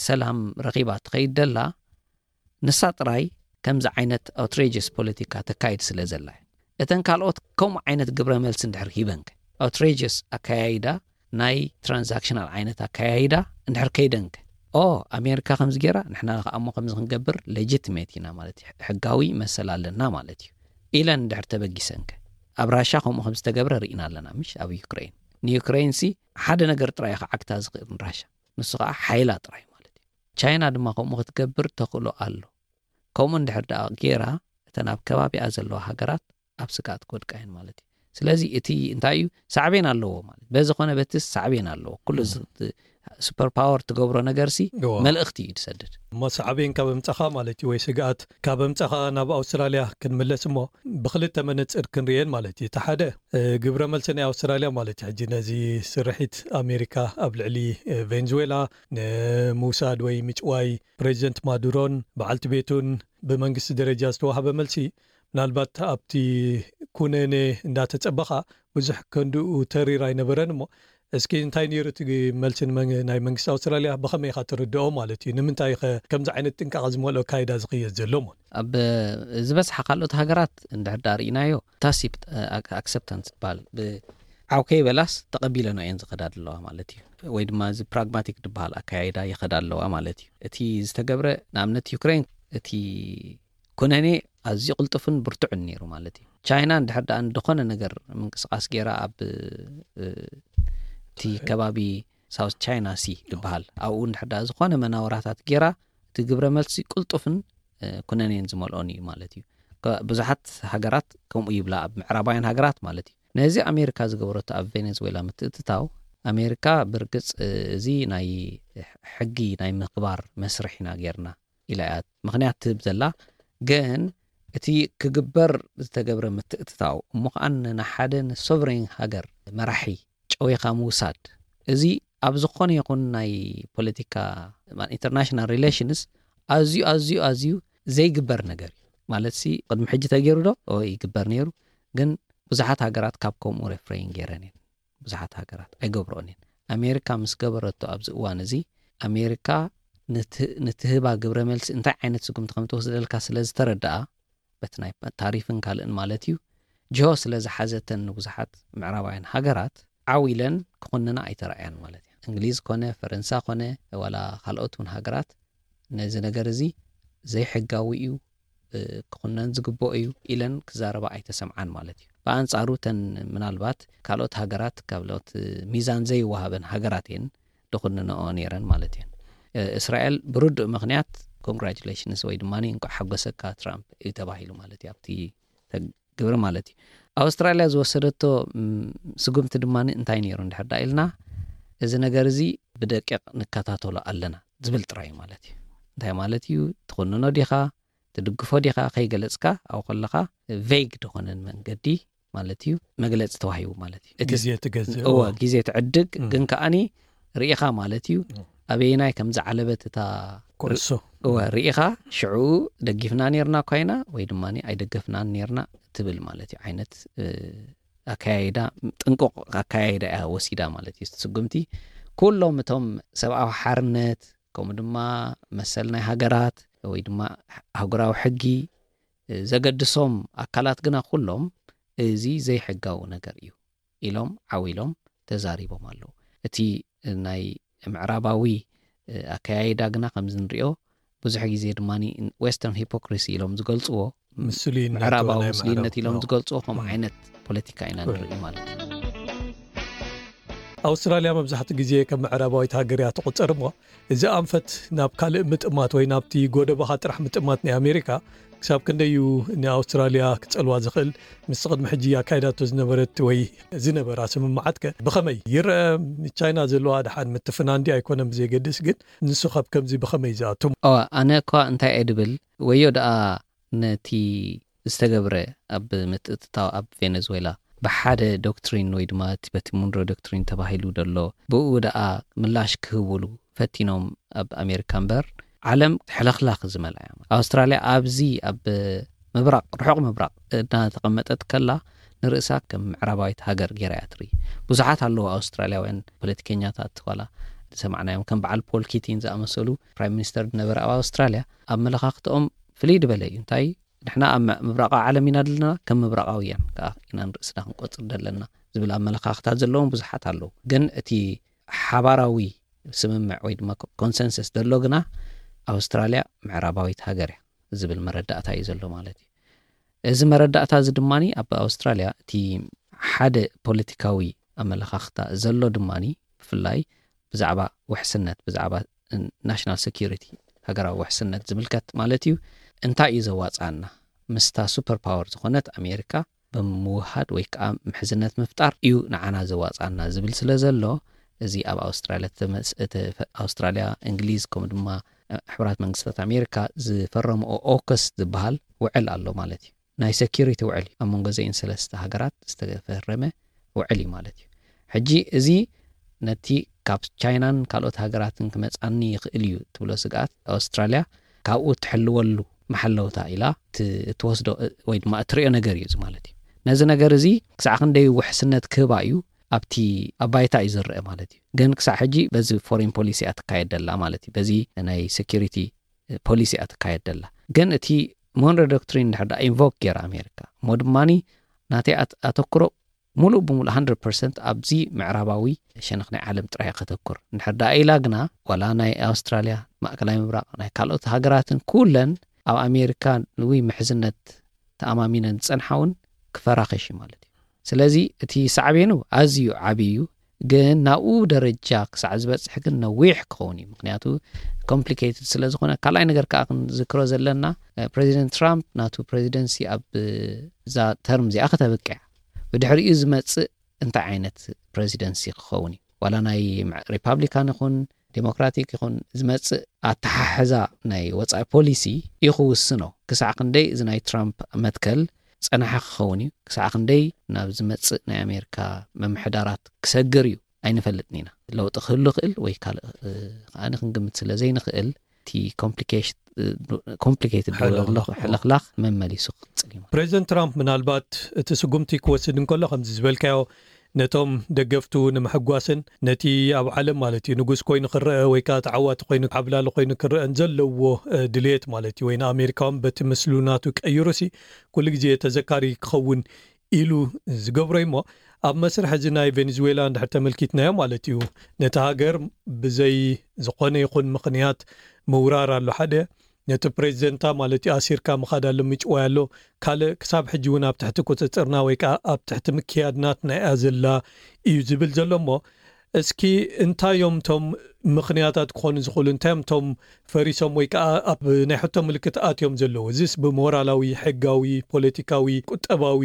ሰላም ረኺባ ትኸይድ ደላ ንሳ ጥራይ ከምዚ ዓይነት ኣውትሬጀስ ፖለቲካ ተካይድ ስለ ዘላ እያ። እተን ካልኦት ከምኡ ዓይነት ግብረ መልሲ እንድሕር ሂበንከ፣ ኣውትሬጀስ ኣከያይዳ ናይ ትራንዛክሽናል ዓይነት ኣከያይዳ እንድሕር ከይደንከ፣ ኦ ኣሜሪካ ከምዚ ገይራ ንሕና ከኣ እሞ ከምዚ ክንገብር ሌጂትሜት ኢና ማለት እዩ፣ ሕጋዊ መሰል ኣለና ማለት እዩ ኢለን እንድሕር ተበጊሰንከ፣ ኣብ ራሻ ከምኡ ከም ዝተገብረ ርኢና ኣለና ምሽ ኣብ ዩክሬን። ንዩክሬን ሲ ሓደ ነገር ጥራይ ከዓግታ ዝኽእል ንራሻ፣ ንሱ ከዓ ሓይላ ጥራይ ማለት እዩ። ቻይና ድማ ከምኡ ክትገብር ተኽእሎ ኣሎ። ከምኡ እንድሕር ደኣ ገይራ እተን ኣብ ከባቢኣ ዘለዋ ሃገራት ኣብ ስግኣት ክወድቃ እየን ማለት እዩ። ስለዚ እቲ እንታይ እዩ ሳዕቤን ኣለዎ ማለት በዚ ኮነ በቲ ሳዕቤን ኣለዎ። ኩሉ ሱፐር ፓወር ትገብሮ ነገር ሲ እዎ። መልእኽቲ እዩ ትሰድድ። እሞ ሳዕቤን ካብ ኣምጻኻ ማለት እዩ፣ ወይ ስግኣት ካብ ኣምጻኻ ናብ ኣውስትራልያ ክንምለስ እሞ፣ ብክልተ መነጽር ክንርእየን ማለት እዩ። እቲ ሓደ እ፣ ግብረ መልሲ ናይ ኣውስትራልያ ማለት እዩ። ሕጂ ነዚ ስርሒት ኣሜሪካ ኣብ ልዕሊ እ፣ ቬንዙዌላ ንምውሳድ ወይ ምጭዋይ፣ ፕሬዚደንት ማዱሮን በዓልቲ ቤቱን ብመንግስቲ ደረጃ ዝተዋህበ መልሲ፣ ምናልባት ኣብቲ ኩነኔ እንዳተጸበኻ ብዙሕ ከንድኡ ተሪር ኣይነበረን እሞ፣ እስኪ እንታይ ነይሩ እቲ መልሲ ንመን- ናይ መንግስቲ ኣውስትራልያ ብኸመይ ኢኻ ትርድኦ ማለት እዩ? ንምንታይ ኸ ከምዚ ዓይነት ጥንቃቐ ዝመልኦ ኣካይዳ ዝኽየድ ዘሎ እሞ? ኣብ ዝበዝሓ ካልኦት ሃገራት እንድሕር ዳ ርኢናዮ ታሲት ኣክሰፕታንስ ዝበሃል፣ ብዓው ከይበላስ ተቐቢለና እየን ዝኸዳ ኣለዋ ማለት እዩ። ወይ ድማ እዚ ፕራግማቲክ ዝበሃል ኣካያይዳ ይኸዳ ኣለዋ ማለት እዩ። እቲ ዝተገብረ፣ ንኣብነት ዩክሬን፣ እቲ ኩነኔ ኣዝዩ ቅልጡፍን ብርቱዕን ነይሩ ማለት እዩ። ቻይና እንድሕር ደኣ ዝኾነ ነገር ምንቅስቃስ ገይራ ኣብ እ፣ እቲ ከባቢ ሳውት ቻይና ሲ ዝበሃል፣ ኣብኡ እንድሕር ደኣ ዝኾነ መናወራታት ገይራ፣ እቲ ግብረ መልሲ ቅልጡፍን እ፣ ኩነኔን ዝመልኦን እዩ ማለት እዩ። ከ- ብዙሓት ሃገራት ከምኡ ይብላ፣ ኣብ ምዕራባውያን ሃገራት ማለት እዩ። ነዚ ኣሜሪካ ዝገበረቶ ኣብ ቬኔዙዌላ ምትእትታው፣ ኣሜሪካ ብርግጽ እ፣ እዚ ናይ ሕጊ ናይ ምኽባር መስርሕ ኢና ጌርና ኢላ እያ ምኽንያት ትህብ ዘላ። ግን እቲ ክግበር ዝተገብረ ምትእትታው እሞ ከኣ ንሓደ ንሶቨሬን ሃገር መራሒ ጨዊኻ ምውሳድ፣ እዚ ኣብ ዝኾነ ይኹን ናይ ፖለቲካ ኢንተርናሽናል ሪሌሽንስ ኣዝዩ ኣዝዩ ኣዝዩ ዘይግበር ነገር እዩ። ማለት ሲ ቅድሚ ሕጂ ተገይሩ ዶ? ኦ ይግበር ነይሩ። ግን ብዙሓት ሃገራት ካብ ከምኡ ሬፍሬን ገይረን እየን። ብዙሓት ሃገራት ኣይገብርኦን እየን። ኣሜሪካ ምስ ገበረቶ ኣብዚ እዋን እዚ ኣሜሪካ ንት- ንትህባ ግብረ መልሲ እንታይ ዓይነት ስጉምቲ ከም ትወስደልካ ስለ ዝተረድኣ፣ በቲ ናይ ታሪፍን ካልእን ማለት እዩ፣ ጅሆ ስለ ዝሓዘተን ንብዙሓት ምዕራባውያን ሃገራት ዓው ኢለን ክኹንና ኣይተረኣያን ማለት እዩ። እንግሊዝ ኮነ ፈረንሳ ኮነ ዋላ ካልኦት እውን ሃገራት ነዚ ነገር እዚ ዘይሕጋዊ እዩ፣ እ፣ ክኹነን ዝግብኦ እዩ ኢለን ክዛረባ ኣይተሰምዓን ማለት እዩ። ብኣንጻሩ እተን ምናልባት ካልኦት ሃገራት፣ ካልኦት ሚዛን ዘይወሃበን ሃገራት እየን ዝኹንንኦ ነይረን ማለት እየን። እ፣ እስራኤል ብርዱእ ምኽንያት ኮንግራቹሌሽንስ ወይ ድማ እንቋዕ ሓጎሰካ ትራምፕ እዩ ተባሂሉ ማለት እዩ ኣብቲ ግብሪ ማለት እዩ። ኣውስትራልያ ዝወሰደቶ ም፣ ስጉምቲ ድማ እንታይ ነይሩ እንድሕር ዳ ኢልና፣ እዚ ነገር እዚ ብደቂቕ ንከታተሎ ኣለና ዝብል ጥራይ ማለት እዩ። እንታይ ማለት እዩ? ትኹንኖ ዲኻ፣ ትድግፎ ዲኻ ከይገለጽካ፣ ኣብኡ ከለኻ ቬግ ዝኾነን መንገዲ ማለት እዩ፣ መግለጺ ተዋሂቡ ማለት እዩ። እቲ ግዜ ትገዝእ እወ፣ ግዜ ትዕድግ፣ ም። ግን ከኣኒ ርኢኻ ማለት እዩ፣ ም። ኣበየናይ ከም ዝዓለበት እታ ኩዕሶ እወ ርኢኻ፣ ሽዑ ደጊፍና ነርና እኳ ኢና ወይ ድማ ኣይደገፍናን ነርና ትብል ማለት እዩ። ዓይነት እ፣ ኣካያይዳ፣ ጥንቁቕ ኣካያይዳ እያ ወሲዳ ማለት እዩ። እቲ ስጉምቲ ኩሎም እቶም ሰብኣዊ ሓርነት፣ ከምኡ ድማ መሰል ናይ ሃገራት ወይ ድማ ኣህጉራዊ ሕጊ እ፣ ዘገድሶም ኣካላት ግና ኩሎም እዚ ዘይሕጋዊ ነገር እዩ ኢሎም ዓው ኢሎም ተዛሪቦም ኣለዉ። እቲ ናይ ምዕራባዊ እ፣ ኣከያይዳ ግና ከምዚ ንሪኦ ብዙሕ ግዜ ድማ ዌስተርን ሂፖክሪሲ ኢሎም ዝገልፅዎ፣ ምስሉይነት ምዕራባዊ ናይ ምስሉይነት ምዕራብ። ኢሎም እ። ዝገልፅዎ ከምኡ እ። ዓይነት ፖለቲካ ኢና እ። ንርኢ ማለት እዩ። ኣውስትራልያ መብዛሕትኡ ግዜ ከም ምዕራባዊት ሃገር እያ ትቑጸር እሞ፣ እዚ ኣንፈት ናብ ካልእ ምጥማት ወይ ናብቲ ጎደቦኻ ጥራሕ ምጥማት ናይ ኣሜሪካ ክሳብ ክንደይ እዩ ንኣውስትራልያ ክጸልዋ ዝኽእል? ምስ ቅድሚ ሕጂ ኣካይዳቶ ዝነበረት ወይ ዝነበራ ስምምዓት ከ ብኸመይ ይረአ? ቻይና ዘለዋ ደሓን ምትፍናን ድዩ ኣይኮነን ብዘይገድስ፣ ግን ንሱ ካብ ከምዚ ብኸመይ ዝኣቱ? ኦ ኣነ እኳ እንታይ እየ ድብል፣ ወዮ ደኣ ነቲ ዝተገብረ ኣብ ምትእትታው ኣብ ቬነዝዌላ ብሓደ ዶክትሪን ወይ ድማ እቲ በቲ ሙንሮ ዶክትሪን ተባሂሉ ደሎ ብኡ ደኣ ምላሽ ክህብሉ ፈቲኖም ኣብ ኣሜሪካ እምበር፣ ዓለም ሕልኽላኽ ዝመልኣ እያ። ኣውስትራልያ ኣብዚ ኣብ ምብራቕ፣ ርሑቕ ምብራቕ እናተቐመጠት ከላ ንርእሳ ከም ምዕራባዊት ሃገር ገይራ እያ ትርኢ። ብዙሓት ኣለዉ ኣውስትራልያውያን ፖለቲከኛታት ዋላ ዝሰማዕናዮም ከም በዓል ፖል ኪቲን ዝኣመሰሉ ፕራይም ሚኒስተር ዝነበረ ኣብ ኣውስትራልያ ኣመለኻኽትኦም ፍልይ ዝበለ እዩ። እንታይ ንሕና ኣብ ምብራቓዊ ዓለም ኢና ዘለና፣ ከም ምብራቓውያን ከዓ ኢና ንርእስና ክንቆጽር ዘለና ዝብል ኣመለኻኽታት ዘለዎም ብዙሓት ኣለዉ። ግን እቲ ሓባራዊ ስምምዕ ወይ ድማ ኮንሰንሰስ ዘሎ ግና ኣውስትራልያ ምዕራባዊት ሃገር እያ ዝብል መረዳእታ እዩ ዘሎ ማለት እዩ። እዚ መረዳእታ እዚ ድማ ኣብ ኣውስትራልያ እቲ ሓደ ፖለቲካዊ ኣመለኻኽታ ዘሎ ድማ ብፍላይ ብዛዕባ ውሕስነት፣ ብዛዕባ ናሽናል ሴኩሪቲ፣ ሃገራዊ ውሕስነት ዝምልከት ማለት እዩ፣ እንታይ እዩ ዘዋፅኣና? ምስታ ሱፐር ፓወር ዝኾነት ኣሜሪካ ብምውሃድ ወይ ከዓ ምሕዝነት ምፍጣር እዩ ንዓና ዘዋፅኣና ዝብል ስለ ዘሎ፣ እዚ ኣብ ኣውስትራልያ ተመስ- እቲ ፈ- ኣውስትራልያ፣ እንግሊዝ፣ ከምኡ ድማ ሕቡራት መንግስታት ኣሜሪካ ዝፈረምኦ ኦከስ ዝበሃል ውዕል ኣሎ ማለት እዩ። ናይ ሴኪሪቲ ውዕል እዩ፣ ኣብ መንጎ ዘን ሰለስተ ሃገራት ዝተፈረመ ውዕል እዩ ማለት እዩ። ሕጂ እዚ ነቲ ካብ ቻይናን ካልኦት ሃገራትን ክመጻኒ ይኽእል እዩ ትብሎ ስግኣት ኣውስትራልያ ካብኡ ትሕልወሉ መሓለውታ ኢላ ት- እትወስዶ ወይ ድማ እትሪኦ ነገር እዩ እዚ ማለት እዩ። ነዚ ነገር እዚ ክሳዕ ክንደይ ውሕስነት ክህባ እዩ ኣብቲ ኣብ ባይታ እዩ ዝረአ ማለት እዩ። ግን ክሳዕ ሕጂ በዚ ፎሬን ፖሊሲ እያ ትካየድ ደላ ማለት እዩ። በዚ ናይ ሴኪሪቲ ፖሊሲ እያ ትካየድ ደላ። ግን እቲ ሞንሮ ዶክትሪን እንድሕር ደኣ ኢንቮክ ገይራ ኣሜሪካ እሞ ድማኒ ናተይ ኣት- ኣተኩሮ ሙሉእ ብሙሉእ 100 ፐርሰንት ኣብዚ ምዕራባዊ ሸነኽ ናይ ዓለም ጥራይ ከተኩር እንድሕር ደኣ ኢላ ግና ዋላ ናይ ኣውስትራልያ፣ ማእከላይ ምብራቕ፣ ናይ ካልኦት ሃገራትን ኩለን ኣብ ኣሜሪካ ንውይ ምሕዝነት ተኣማሚነን ዝጸንሓ እውን ክፈራኸሽ እዩ ማለት እዩ። ስለዚ እቲ ሳዕቤኑ ኣዝዩ ዓብዪ እዩ። ግን ናብኡ ደረጃ ክሳዕ ዝበፅሕ ግን ነዊሕ ክኸውን እዩ። ምክንያቱ ኮምፕሊኬትድ ስለ ዝኾነ። ካልኣይ ነገር ከዓ ክንዝክሮ ዘለና እ፣ ፕሬዚደንት ትራምፕ ናቱ ፕሬዚደንሲ ኣብ እዛ ተርም እዚኣ ከተብቅዕ ብድሕሪኡ ዝመፅእ እንታይ ዓይነት ፕሬዚደንሲ ክኸውን እዩ? ዋላ ናይ ሪፓብሊካን ይኹን ዴሞክራቲክ ይኹን ዝመፅእ ኣተሓሕዛ ናይ ወፃኢ ፖሊሲ እዩ ክውስኖ። ክሳዕ ክንደይ እዚ ናይ ትራምፕ መትከል ፀናሒ ክኸውን እዩ፣ ክሳዕ ክንደይ ናብ ዝመፅእ ናይ ኣሜሪካ ምምሕዳራት ክሰግር እዩ ኣይንፈልጥን ኢና። ለውጢ ክህሉ ይኽእል ወይ ካልእ ከኣ ክንግምት ስለ ዘይንኽእል እቲ ኮምፕሊኬትድ ሕልኽላኽ መመሊሱ ክቕፅል እዩ። ፕሬዚደንት ትራምፕ ምናልባት እቲ ስጉምቲ ክወስድ እንከሎ ከምዚ ዝበልካዮ ነቶም ደገፍቱ ንምሕጓስን ነቲ ኣብ ዓለም ማለት እዩ ንጉስ ኮይኑ ክረአ ወይ ከዓ ተዓዋቲ ኮይኑ ዓብላሊ ኮይኑ ክረአን ዘለዎ ድልየት ማለት እዩ ወይ ንኣሜሪካውን በቲ ምስሉ ናቱ ቀይሩሲ ኩሉ ግዜ ተዘካሪ ክኸውን ኢሉ ዝገብሮ እሞ ኣብ መስርሕ እዚ ናይ ቬኔዙዌላ እንድሕር ተመልኪትናዮ ማለት እዩ ነቲ ሃገር ብዘይ ዝኾነ ይኹን ምኽንያት ምውራር ኣሎ ሓደ ነቲ ፕሬዚደንታ ማለት እዩ ኣሲርካ ምኻድ ኣሎ ምጭዋይ ኣሎ ካልእ ክሳብ ሕጂ እውን ኣብ ትሕቲ ቁፅፅርና ወይ ከዓ ኣብ ትሕቲ ምክያድ ናትና እያ ዘላ እዩ ዝብል ዘሎ እሞ እስኪ እንታይ እዮም እቶም ምኽንያታት ክኾኑ ዝኽእሉ እንታይ እዮም እቶም ፈሪሶም ወይ ከዓ ኣብ ናይ ሕቶ ምልክት ኣትዮም ዘለዉ እዚስ ብሞራላዊ ሕጋዊ ፖለቲካዊ ቁጠባዊ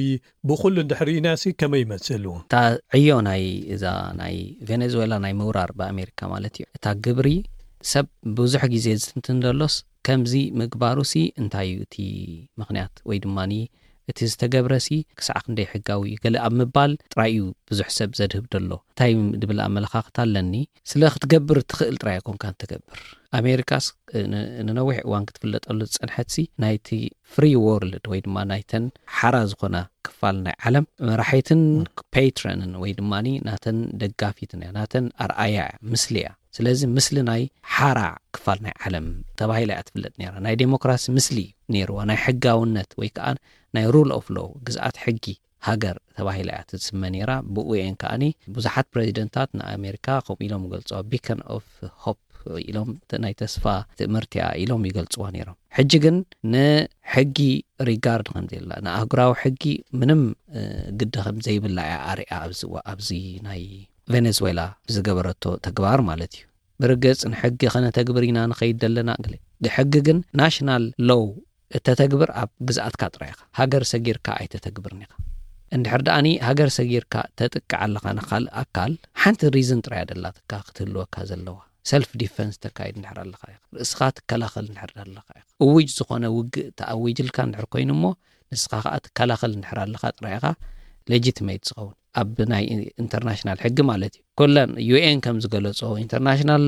ብኩሉ እንድሕር ኢናሲ ከመይ ይመስል እታ ዕዮ ናይ እዛ ናይ ቬኔዙዌላ ናይ ምውራር ብኣሜሪካ ማለት እዩ እታ ግብሪ ሰብ ብዙሕ ግዜ ዝትንትን ዘሎስ ከምዚ ምግባሩሲ እንታይ እዩ እቲ ምኽንያት ወይ ድማ እቲ ዝተገብረሲ ክሳዕ ክንደይ ሕጋዊ እዩ ገለ ኣብ ምባል ጥራይ እዩ ብዙሕ ሰብ ዘድህብ ዘሎ እንታይ ድብል ኣመለኻኽታ ኣለኒ ስለ ክትገብር ትኽእል ጥራይ ኣይኮንካን ትገብር ኣሜሪካስ ንነዊሕ እዋን ክትፍለጠሉ ዝፀንሐትሲ ናይቲ ፍሪ ወርልድ ወይ ድማ ናይተን ሓራ ዝኾና ክፋል ናይ ዓለም መራሒትን ፔትረንን ወይ ድማ ናተን ደጋፊትን እያ ናተን ኣርኣያ እያ ምስሊ እያ ስለዚ ምስሊ ናይ ሓራ ክፋል ናይ ዓለም ተባሂላ እያ ትፍለጥ ነራ ናይ ዴሞክራሲ ምስሊ ነርዋ ናይ ሕጋውነት ወይ ከዓ ናይ ሩል ኦፍ ሎው ግዝኣት ሕጊ ሃገር ተባሂላ እያ ትስመ ነራ ብኡ እየን ከዓኒ ብዙሓት ፕሬዚደንታት ንኣሜሪካ ከምኡ ኢሎም ይገልፅዋ ቢከን ኦፍ ሆፕ ኢሎም ናይ ተስፋ ትእምርቲያ ኢሎም ይገልፅዋ ነይሮም ሕጂ ግን ንሕጊ ሪጋርድ ከም ዘላ ንኣህጉራዊ ሕጊ ምንም ግዲ ከም ዘይብላ እያ ኣርያ ኣብዚ ኣብዚ ናይ ቬኔዝዌላ ዝገበረቶ ተግባር ማለት እዩ ብርግፅ ንሕጊ ከነተግብር ኢና ንኸይድ ዘለና ሕጊ ግን ናሽናል ሎው እተተግብር ኣብ ግዝኣትካ ጥራይ ኢኻ ሃገር ሰጊርካ ኣይተተግብርን ኢኻ እንድሕር ደኣኒ ሃገር ሰጊርካ ተጥቅዕ ኣለኻ ንካልእ ኣካል ሓንቲ ሪዝን ጥራይ ኣደላትካ ክትህልወካ ዘለዋ ሰልፍ ዲፈንስ ተካይድ እንድሕር ኣለኻ ኢኻ ርእስኻ ትከላኸል እንድሕር ኣለኻ ኢኻ እውጅ ዝኾነ ውግእ ተኣዊጅልካ እንድሕር ኮይኑ እሞ ንስኻ ከዓ ትከላኸል እንድሕር ኣለኻ ጥራይ ኢኻ ሌጂትሜት ዝኸውን ኣብ ናይ ኢንተርናሽናል ሕጊ ማለት እዩ ኩለን ዩ ኤን ከም ዝገለጾ ኢንተርናሽናል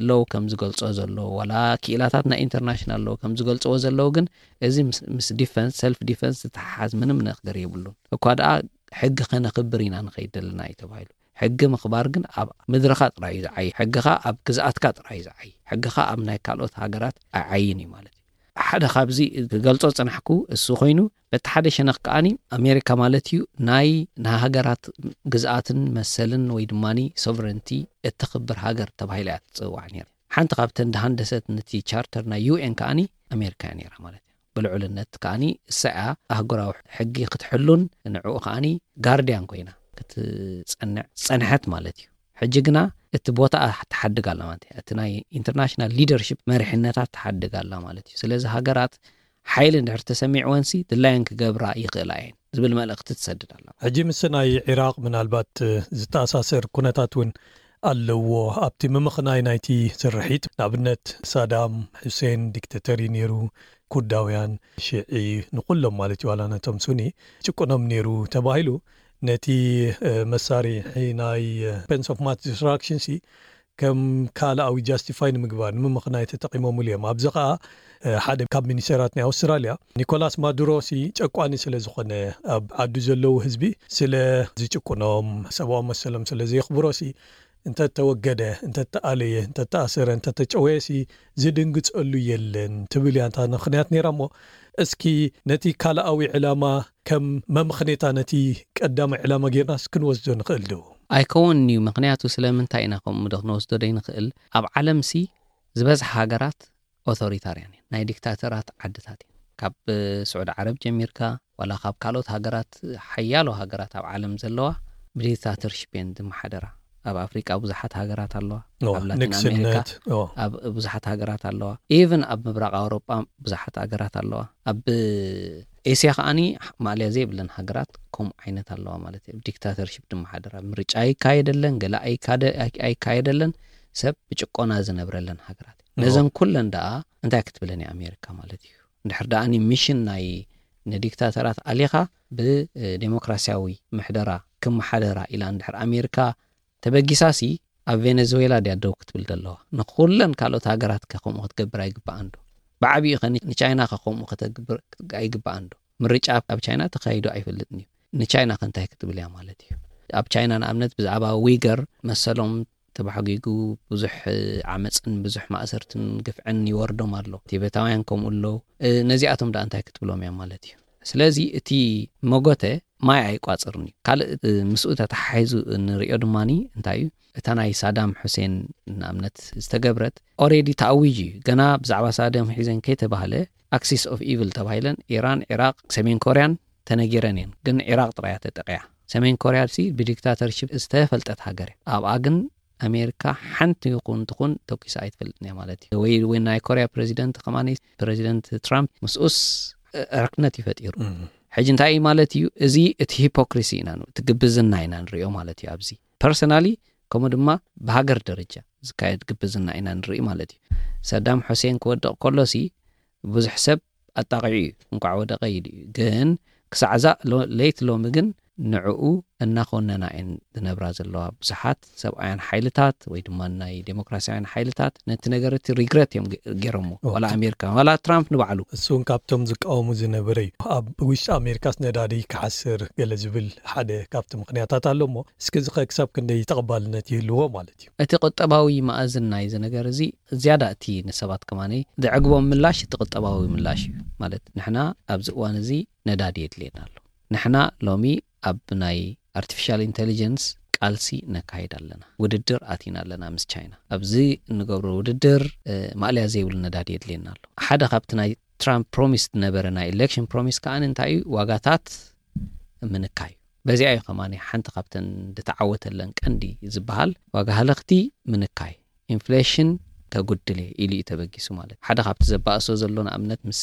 ሎው ከም ዝገልጾ ዘሎ ዋላ ክኢላታት ናይ ኢንተርናሽናል ሎው ከም ዝገልጽዎ ዘለዉ ግን እዚ ምስ ዲፈንስ ሰልፍ ዲፈንስ ዝተሓሓዝ ምንም ነገር የብሉን እኳ ደኣ ሕጊ ከነኽብር ኢና ንኸይድ ዘለና እዩ ተባሂሉ ሕጊ ምኽባር ግን ኣብ ምድርኻ ጥራይ እዩ ዝዓይ ሕግኻ ኣብ ግዝኣትካ ጥራይ እዩ ዝዓይ ሕግኻ ኣብ ናይ ካልኦት ሃገራት ኣይዓይን እዩ ማለት እዩ ሓደ ካብዚ ክገልጾ ጽናሕኩ እሱ ኮይኑ በቲ ሓደ ሸነኽ ከኣኒ ኣሜሪካ ማለት እዩ ናይ ንሃገራት ግዝኣትን መሰልን ወይ ድማ ሶቨረንቲ እተኽብር ሃገር ተባሂላ እያ ትጽዋዕ ነይራ ሓንቲ ካብተን ዝሃንደሰት ነቲ ቻርተር ናይ ዩ ኤን ከኣኒ ኣሜሪካ እያ ነይራ ማለት እዩ ብልዑልነት ከኣኒ እሳ እያ ኣህጉራዊ ሕጊ ክትሕሉን ንዕኡ ከኣኒ ጋርድያን ኮይና ክትጸንዕ ዝጸንሐት ማለት እዩ ሕጂ ግና እቲ ቦታ ትሓድግ ኣላ ማለት እያ እቲ ናይ ኢንተርናሽናል ሊደርሽፕ መሪሕነታት ትሓድግ ኣላ ማለት እዩ ስለዚ ሃገራት ሓይሊ እንድሕር ተሰሚዕወንሲ ድላየን ክገብራ ይኽእላ እየን ዝብል መልእኽቲ ትሰድድ ኣላ ሕጂ ምስ ናይ ዒራቅ ምናልባት ዝተኣሳሰር ኩነታት እውን ኣለዎ ኣብቲ ምምኽናይ ናይቲ ስርሒት። ንኣብነት ሳዳም ሑሴን ዲክተተር እዩ ነይሩ። ኩርዳውያን፣ ሽዒ፣ ንኩሎም ማለት እዩ፣ ዋላ ነቶም ሱኒ ጭቁኖም ነይሩ ተባሂሉ። ነቲ መሳርሒ ናይ ዌፐንስ ኦፍ ማስ ዲስትራክሽን ሲ ከም ካልኣዊ ጃስቲፋይ ንምግባር ንምምኽናይ ተጠቂሞምሉ እዮም። ኣብዚ ከዓ ሓደ ካብ ሚኒስተራት ናይ ኣውስትራልያ ኒኮላስ ማዱሮ ሲ ጨቋኒ ስለ ዝኾነ፣ ኣብ ዓዱ ዘለዉ ህዝቢ ስለ ዝጭቁኖም፣ ሰብኣዊ መሰሎም ስለ ዘየኽብሮ ሲ እንተተወገደ፣ እንተተኣለየ፣ እንተተኣሰረ፣ እንተተጨወየ ሲ ዝድንግጸሉ የለን ትብል እያ እታ ምኽንያት ነይራ። እሞ እስኪ ነቲ ካልኣዊ ዕላማ ከም መምኽኔታ ነቲ ቀዳማይ ዕላማ ጌርናስ ክንወስዶ ንኽእል ዶ? ኣይከውንን እዩ። ምኽንያቱ ስለምንታይ ኢና ከምኡ ዶ ክንወስዶ ዘይንኽእል? ኣብ ዓለምሲ ዝበዝሓ ሃገራት ኦቶሪታርያን እየን፣ ናይ ዲክታተራት ዓድታት እየን። ካብ ስዑዲ ዓረብ ጀሚርካ ዋላ ካብ ካልኦት ሃገራት፣ ሓያሎ ሃገራት ኣብ ዓለም ዘለዋ ብዲክታተርሺፕ እየን ዝመሓደራ። ኣብ ኣፍሪቃ ብዙሓት ሃገራት ኣለዋ፣ ኣብ ላቲን ኣሜሪካ ኣብ ብዙሓት ሃገራት ኣለዋ፣ ኢቨን ኣብ ምብራቕ ኣውሮጳ ብዙሓት ሃገራት ኣለዋ። ኣብ ኤስያ ከዓኒ ማእለያ ዘይብለን ሃገራት ከምኡ ዓይነት ኣለዋ ማለት እዩ። ዲክታተርሺፕ ድማ ሓደራ፣ ምርጫ ኣይካየደለን፣ ገለ ኣይካደ-፣ ኣይ-፣ ኣይካየደለን፣ ሰብ ብጭቆና ዝነብረለን ሃገራት። ነዘን ኩለን ደኣ እንታይ ክትብለን እያ ኣሜሪካ ማለት እዩ? እንድሕር ደኣኒ ሚሽን ናይ ንዲክታተራት ኣሊኻ ብዴሞክራሲያዊ ምሕደራ ክመሓደራ ኢላ እንድሕር ኣሜሪካ ተበጊሳሲ፣ ኣብ ቬነዙዌላ ድያ ደው ክትብል ዘለዋ? ንኹለን ካልኦት ሃገራት ከ ከምኡ ክትገብር ኣይግባኣን ዶ? ብዓቢኡ ከ ን-፣ ንቻይና ከ ከምኡ ከተግብር ኣይግባኣን ዶ? ምርጫ ኣብ ቻይና ተኻይዱ ኣይፈልጥን እዩ። ንቻይና ከ እንታይ ክትብል እያ ማለት እዩ? ኣብ ቻይና ንኣብነት ብዛዕባ ዊገር መሰሎም ተባሕጊጉ ብዙሕ ዓመፅን ብዙሕ ማእሰርትን ግፍዕን ይወርዶም ኣሎ። ቲቤታውያን ከምኡ ኣለዉ። እ፣ ነዚኣቶም ደኣ እንታይ ክትብሎም እያ ማለት እዩ? ስለዚ እቲ መጎተ ማይ ኣይቋፅርን እዩ። ካልእ፣ እ፣ ምስኡ ተተሓሒዙ እንሪኦ ድማኒ እንታይ እዩ? እታ ናይ ሳዳም ሑሴን ንኣብነት ዝተገብረት ኦሬዲ ተኣዊጅ እዩ። ገና ብዛዕባ ሳዳም ሑሴን ከይተባህለ ኣክሲስ ኦፍ ኢቭል ተባሂለን ኢራን፣ ኢራቅ፣ ሰሜን ኮርያን ተነጊረን እየን። ግን ኢራቅ ጥራያ ተጠቂያ። ሰሜን ኮርያ ሲ ብዲክታተርሺፕ ዝተፈልጠት ሃገር እያ። ኣብኣ ግን ኣሜሪካ ሓንቲ ይኹን ትኹን ተኩሳ ኣይትፈልጥን እያ ማለት እዩ። ወይ፣ ወይ ናይ ኮርያ ፕሬዚደንት ከማኒ፣ ፕሬዚደንት ትራምፕ ምስኡስ ዕርክነት እዩ ፈጢሩ። ሕጂ እንታይ እዩ ማለት እዩ? እዚ እቲ ሂፖክሪሲ ኢና ን-፣ እቲ ግብዝና ኢና ንሪኦ ማለት እዩ። ኣብዚ ፐርሰናሊ ከምኡ ድማ ብሃገር ደረጃ ዝካየድ ግብዝና ኢና ንርኢ ማለት እዩ። ሰዳም ሑሴን ክወድቕ ከሎሲ ብዙሕ ሰብ ኣጣቒዑ እዩ፣ እንኳዕ ወደቐ ኢሉ እዩ። ግን ክሳዕ እዛ ሎ-፣ ለይቲ ሎሚ ግን ንዕኡ እናኾነና እየን ዝነብራ ዘለዋ። ብዙሓት ሰብኣውያን ሓይልታት ወይ ድማ ናይ ዴሞክራሲያውያን ሓይልታት ነቲ ነገር እቲ ሪግረት እዮም ገ-፣ ገይሮምዎ። ኦ፣ ዋላ እቲ ኣሜሪካ፣ ዋላ ትራምፕ ንባዕሉ። እሱ እውን ካብቶም ዝቃወሙ ዝነበረ እዩ። ኣብ ውሽጢ ኣሜሪካስ ነዳዲ ክሓስር ገለ ዝብል ሓደ ካብቲ ምኽንያታት ኣሎ እሞ፣ እስኪ እዚ ኸ ክሳብ ክንደይ ተቐባልነት ይህልዎ ማለት እዩ? እቲ ቁጠባዊ መኣዝን ናይዚ ነገር እዚ ዝያዳ እቲ ንሰባት ከማነይ ዘዕግቦም ምላሽ እቲ ቁጠባዊ ምላሽ እዩ። ማለት ንሕና ኣብዚ እዋን እዚ ነዳዲ የድልየና ኣሎ። ንሕና ሎሚ ኣብ ናይ ኣርቲፊሻል ኢንተሊጀንስ ቃልሲ ነካይድ ኣለና። ውድድር ኣቲና ኣለና ምስ ቻይና። ኣብዚ እንገብሮ ውድድር፣ እ፣ ማእለያ ዘይብሉ ነዳዲ የድልየና ኣሎ። ሓደ ካብቲ ናይ ትራምፕ ፕሮሚስ ዝነበረ ናይ ኢሌክሽን ፕሮሚስ ከኣ እንታይ እዩ? ዋጋታት ምንካይ እዩ። በዚኣ እዩ ከማኒ ሓንቲ ካብተን ዝተዓወተለን ቀንዲ ዝበሃል ዋጋ ሃለኽቲ ምንካይ፣ ኢንፍሌሽን ከጉድል እየ ኢሉ እዩ ተበጊሱ ማለት። ሓደ ካብቲ ዘባእሶ ዘሎ ንኣብነት ምስ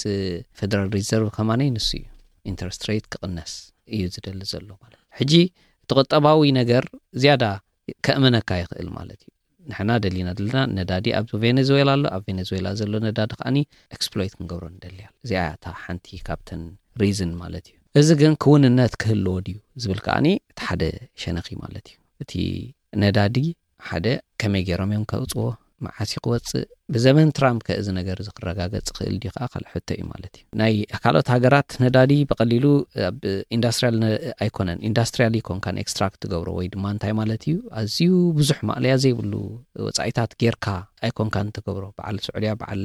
ፌደራል ሪዘርቭ ከማኒ ንሱ እዩ። ኢንተረስት ሬት ክቕነስ እዩ ዝደሊ ዘሎ ማለት። ሕጂ እቲ ቁጠባዊ ነገር ዝያዳ ከእመነካ ይኽእል ማለት እዩ። ንሕና ደሊና ዘለና ነዳዲ ኣብ ቬኔዙዌላ ኣሎ። ኣብ ቬኔዙዌላ ዘሎ ነዳዲ ከኣኒ ኤክስፕሎይት ክንገብሮ ንደሊ ኣሎ። እዚኣ እያ እታ ሓንቲ ካብተን ሪዝን ማለት እዩ። እዚ ግን ክውንነት ክህልዎ ድዩ ዝብል ከኣኒ እቲ ሓደ ሸነኺ ማለት እዩ። እቲ ነዳዲ ሓደ ከመይ ገይሮም እዮም ከውፅዎ፣ መዓስ እዩ ክወፅእ፣ ብዘመን ትራምፕ ከ እዚ ነገር እዚ ክረጋገፅ ክእል ድዩ ከኣ ካልእ ሕቶ እዩ ማለት እዩ። ናይ ካልኦት ሃገራት ነዳዲ ብቐሊሉ ኣብ ኢንዳስትሪያል ነ-፣ ኣይኮነን፣ ኢንዳስትሪያል ኣይኮንካን ኤክስትራክት ትገብሮ ወይ ድማ እንታይ ማለት እዩ፣ ኣዝዩ ብዙሕ ማእለያ ዘይብሉ ወፃኢታት ጌርካ ኣይኮንካን ትገብሮ። በዓል ስዑድያ፣ በዓል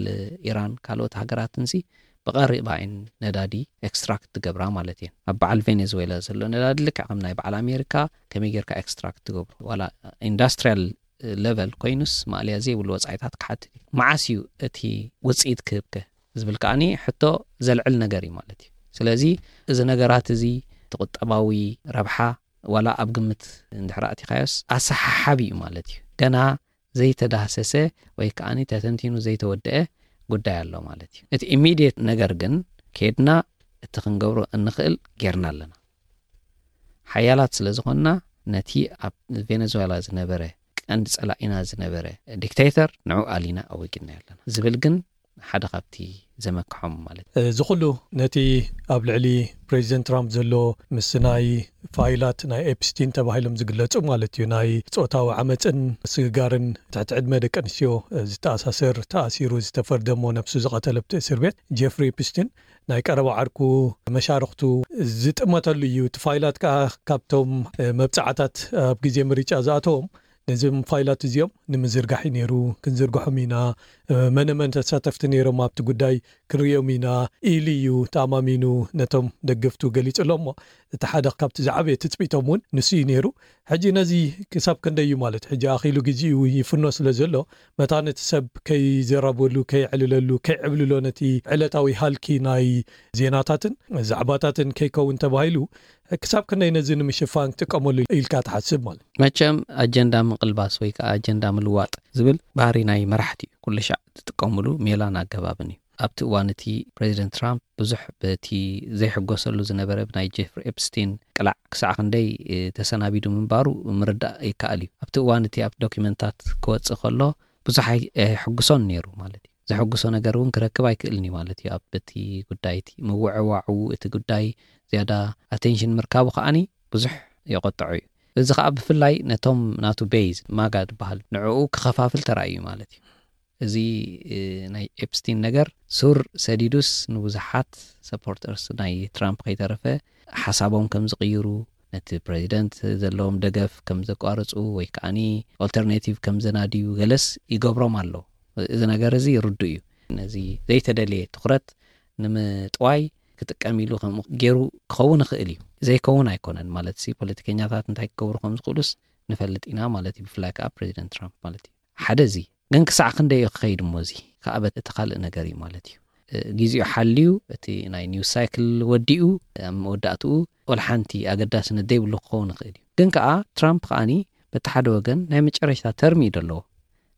ኢራን፣ ካልኦት ሃገራትንሲ ብቐረባ እየን ነዳዲ ኤክስትራክት ትገብራ ማለት እየን። ኣብ በዓል ቬኔዙዌላ ዘሎ ነዳዲ ልክዕ ከም ናይ በዓል ኣሜሪካ ከመይ ጌርካ ኤክስትራክት ትገብሮ፣ ዋላ ኢንዳስትሪያል ሌቨል ኮይኑስ ማእለያ ዘይብሉ ወፃኢታት ክሓትት እዩ። መዓስ እዩ እቲ ውፅኢት ክህብከ ዝብል ከኣኒ ሕቶ ዘልዕል ነገር እዩ ማለት እዩ። ስለዚ እዚ ነገራት እዚ እቲ ቁጠባዊ ረብሓ ዋላ ኣብ ግምት እንድሕር ኣእቲኻዮስ ኣሰሓሓቢ እዩ ማለት እዩ። ገና ዘይተዳህሰሰ ወይ ከኣኒ ተተንቲኑ ዘይተወደአ ጉዳይ ኣሎ ማለት እዩ። እቲ ኢሚድየት ነገር ግን ከይድና እቲ ክንገብሮ እንኽእል ጌርና ኣለና። ሓያላት ስለ ዝኾንና ነቲ ኣብ ቬኔዙዌላ ዝነበረ ቀንዲ ጸላኢና ዝነበረ ዲክቴተር ንዑ ኣሊና ኣወጊድና ኣለና ዝብል ግን ሓደ ካብቲ ዘመክሖም ማለት እዩ። እዚ ኩሉ ነቲ ኣብ ልዕሊ ፕሬዚደንት ትራምፕ ዘሎ ምስ ናይ ፋይላት ናይ ኤፕስቲን ተባሂሎም ዝግለጹ ማለት እዩ ናይ ጾታዊ ዓመፅን ስግጋርን ትሕቲ ዕድመ ደቂ ኣንስትዮ ዝተኣሳሰር ተኣሲሩ ዝተፈርደ እሞ ነብሱ ዝቐተለ ኣብቲ እስር ቤት ጀፍሪ ኤፕስቲን ናይ ቀረባ ዓርኩ መሻርክቱ ዝጥመተሉ እዩ። እቲ ፋይላት ከዓ ካብቶም መብፃዕታት ኣብ ግዜ ምርጫ ዝኣተዎም ነዚም ፋይላት እዚኦም ንምዝርጋሕ እዩ ነይሩ። ክንዝርግሖም ኢና፣ መነ መን ተሳተፍቲ ነይሮም ኣብቲ ጉዳይ ክንሪኦም ኢና ኢሉ እዩ ተኣማሚኑ ነቶም ደገፍቱ ገሊጹ ኣሎ። እሞ እቲ ሓደ ካብቲ ዝዓበየ ትፅቢቶም እውን ንሱ እዩ ነይሩ። ሕጂ ነዚ ክሳብ ክንደይ እዩ ማለት ሕጂ ኣኺሉ ግዜኡ ይፍኖ ስለ ዘሎ መታን እቲ ሰብ ከይዘረበሉ ከይዕልለሉ ከይዕብልሎ ነቲ ዕለታዊ ሃልኪ ናይ ዜናታትን ዛዕባታትን ከይከውን ተባሂሉ ክሳብ ክንደይ ነዚ ንምሽፋን ክጥቀመሉ ኢልካ ትሓስብ ማለት መቸም ኣጀንዳ ምቕልባስ ወይ ከዓ ኣጀንዳ ምልዋጥ ዝብል ባህሪ ናይ መራሕቲ እዩ። ኩሉ ሻዕ ዝጥቀሙሉ ሜላን ኣገባብን እዩ። ኣብቲ እዋን እቲ ፕሬዚደንት ትራምፕ ብዙሕ በቲ ዘይሕጎሰሉ ዝነበረ ብናይ ጀፍሪ ኤፕስቲን ቅላዕ ክሳዕ ክንደይ ተሰናቢዱ ምንባሩ ምርዳእ ይከኣል እዩ። ኣብቲ እዋን እቲ ኣብ ዶኪመንታት ክወፅእ ከሎ ብዙሕ ኣይሕጉሶን ነይሩ ማለት እዩ። ዘሐጉሶ ነገር እውን ክረክብ ኣይክእልን እዩ ማለት እዩ። ኣብ በቲ ጉዳይ እቲ ምውዕዋዑ እቲ ጉዳይ ዝያዳ ኣቴንሽን ምርካቡ ከዓኒ ብዙሕ የቆጥዖ እዩ። እዚ ከዓ ብፍላይ ነቶም ናቱ ቤዝ ማጋ ዝበሃል ንዕኡ ክኸፋፍል ተራእዩ ማለት እዩ። እዚ ናይ ኤፕስቲን ነገር ሱር ሰዲዱስ ንብዙሓት ሰፖርተርስ ናይ ትራምፕ ከይተረፈ ሓሳቦም ከም ዝቕይሩ ነቲ ፕሬዚደንት ዘለዎም ደገፍ ከም ዘቋርፁ ወይ ከዓኒ ኦልተርኔቲቭ ከም ዘናድዩ ገለስ ይገብሮም ኣሎ። እዚ ነገር እዚ ርዱ እዩ። ነዚ ዘይተደለየ ትኩረት ንምጥዋይ ክጥቀም ኢሉ ከምኡ ገይሩ ክኸውን ይኽእል እዩ። ዘይከውን ኣይኮነን ማለት ሲ ፖለቲከኛታት እንታይ ክገብሩ ከም ዝኽእሉስ ንፈልጥ ኢና ማለት እዩ። ብፍላይ ከዓ ፕሬዚደንት ትራምፕ ማለት እዩ። ሓደ እዚ ግን ክሳዕ ክንደይ እዩ ክኸይድ እሞ እዚ ከዓ በቲ ካልእ ነገር እዩ ማለት እዩ። ግዜኡ ሓልዩ እቲ ናይ ኒውስ ሳይክል ወዲኡ ኣብ መወዳእትኡ ወላ ሓንቲ ኣገዳስነት ዘይብሉ ክኸውን ይኽእል እዩ። ግን ከዓ ትራምፕ ከዓኒ በቲ ሓደ ወገን ናይ መጨረሽታ ተርሚ እዩ ዘለዎ።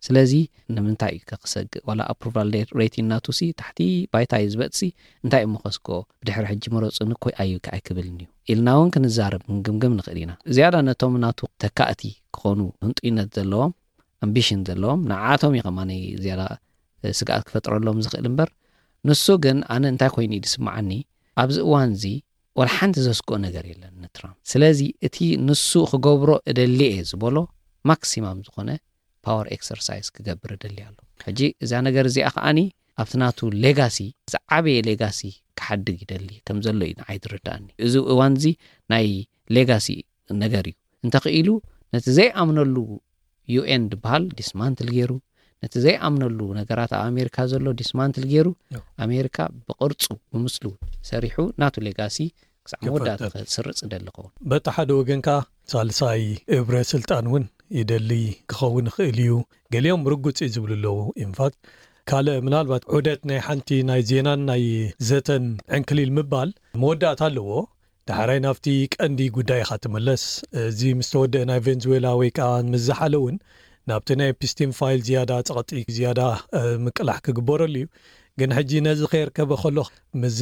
ስለዚ ንምንታይ እዩ ከክሰግእ ዋላ ኣፕሩቫል ሬቲን ናቱ ሲ ታሕቲ ባይታ እዩ ዝበጥሲ እንታይ እሞ ከስግኦ ብድሕሪ ሕጂ ምረፁኒ እኮ ኣዩ ኣይክብልን እዩ ኢልና እውን ክንዛረብ ክንግምግም ንኽእል ኢና። ዝያዳ ነቶም ናቱ ተካእቲ ክኾኑ ህንጡይነት ዘለዎም ኣምቢሽን ዘለዎም ንዓቶም እዩ ከማነይ ዝያዳ ስግኣት ክፈጥረሎም ዝኽእል እምበር ንሱ ግን ኣነ እንታይ ኮይኑ እዩ ዝስምዓኒ ኣብዚ እዋን እዚ ወላ ሓንቲ ዘስግኦ ነገር የለን ንትራምፕ። ስለዚ እቲ ንሱ ክገብሮ እደሊ እየ ዝበሎ ማክሲማም ዝኾነ ፓወር ኤክሰርሳይዝ ክገብር እደሊ ኣሎ። ሕጂ እዛ ነገር እዚኣ ከዓኒ ኣብቲ ናቱ ሌጋሲ ዝዓበየ ሌጋሲ ክሓድግ ይደሊ ከም ዘሎ እዩ ንዓይ ዝርዳእኒ። እዚ እዋን እዚ ናይ ሌጋሲ ነገር እዩ። እንተኽኢሉ ነቲ ዘይኣምነሉ ዩኤን ዝበሃል ዲስማንትል ገይሩ ነቲ ዘይኣምነሉ ነገራት ኣብ ኣሜሪካ ዘሎ ዲስማንትል ገይሩ ኣሜሪካ ብቅርፁ ብምስሉ ሰሪሑ ናቱ ሌጋሲ ክሳዕ መወዳእታ ክስርፅ ደሊ ኸውን። በቲ ሓደ ወገን ከዓ ሳልሳይ እብረ ስልጣን እውን ይደሊ ክኸውን ይኽእል እዩ። ገሊኦም ርጉፅ እዩ ዝብሉ ኣለዉ። ኢንፋክት ካልእ ምናልባት ዑደት ናይ ሓንቲ ናይ ዜናን ናይ ዘተን ዕንክሊል ምባል መወዳእታ ኣለዎ። ዳሕራይ ናብቲ ቀንዲ ጉዳይ ኢኻ ትምለስ። እዚ ምስ ተወደአ ናይ ቬንዙዌላ ወይ ከዓ ምስ ዝሓለ እውን ናብቲ ናይ ኤፕስቲን ፋይል ዝያዳ ፀቕጢ ዝያዳ ምቅላሕ ክግበረሉ እዩ። ግን ሕጂ ነዚ ከየርከበ ከሎ ምስዚ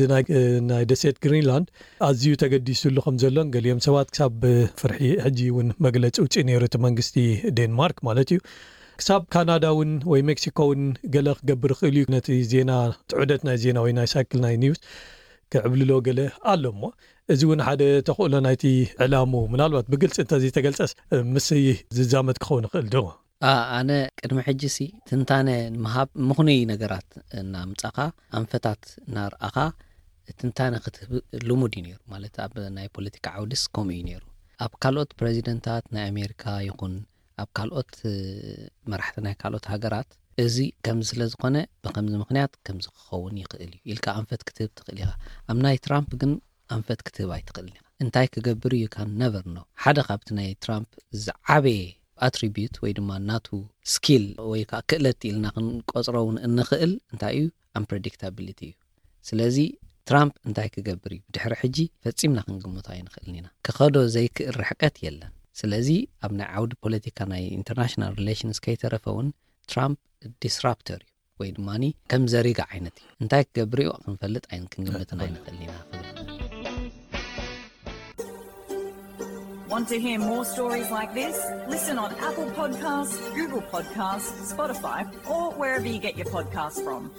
ናይ ደሴት ግሪንላንድ ኣዝዩ ተገዲሱሉ ከም ዘሎን ገሊኦም ሰባት ክሳብ ፍርሒ ሕጂ እውን መግለፂ ውፅእ ነይሩ እቲ መንግስቲ ዴንማርክ ማለት እዩ። ክሳብ ካናዳ እውን ወይ ሜክሲኮ እውን ገለ ክገብር ይኽእል እዩ ነቲ ዜና ትዑደት ናይ ዜና ወይ ናይ ሳይክል ናይ ኒውስ ክዕብልሎ ገለ ኣሎ እሞ እዚ እውን ሓደ ተኽእሎ ናይቲ ዕላሙ ምናልባት ብግልፂ እንተዘይተገልፀስ ምስ ዝዛመድ ክኸውን ይኽእል ዶ? ኣነ ቅድሚ ሕጂ ሲ ትንታነ ንምሃብ ምኽኑይ ነገራት እናምፃኻ ኣንፈታት እናርኣኻ ትንታነ ክትህብ ልሙድ እዩ ነይሩ። ማለት ኣብ ናይ ፖለቲካ ዓውድስ ከምኡ እዩ ነይሩ። ኣብ ካልኦት ፕሬዚደንታት ናይ ኣሜሪካ ይኹን ኣብ ካልኦት መራሕቲ ናይ ካልኦት ሃገራት እዚ ከምዚ ስለ ዝኾነ ብከምዚ ምኽንያት ከምዚ ክኸውን ይኽእል እዩ ኢልካ ኣንፈት ክትህብ ትኽእል ኢኻ። ኣብ ናይ ትራምፕ ግን ኣንፈት ክትህብ ኣይትኽእልን ኢኻ። እንታይ ክገብር እዩ ካን ነቨር ኖ። ሓደ ካብቲ ናይ ትራምፕ ዝዓበየ ኣትሪቢዩት ወይ ድማ ናቱ ስኪል ወይ ከዓ ክእለት ኢልና ክንቆፅሮ እውን እንኽእል እንታይ እዩ ኣምፕረዲክታቢሊቲ እዩ። ስለዚ ትራምፕ እንታይ ክገብር እዩ ብድሕሪ ሕጂ ፈፂምና ክንግምቶ ኣይንኽእልን ኢና። ክኸዶ ዘይክእል ርሕቀት የለን። ስለዚ ኣብ ናይ ዓውዲ ፖለቲካ ናይ ኢንተርናሽናል ሪሌሽንስ ከይተረፈ እውን ትራምፕ ዲስራፕተር እዩ ወይ ድማ ከም ዘሪጋ ዓይነት እዩ። እንታይ ክገብር እዩ ክንፈልጥ ኣይን ክንግምትን ኣይንኽእልን ኢና ክብል Want to hear more stories like this? Listen on Apple Podcasts, Google Podcasts, Spotify, or wherever you get your podcasts from.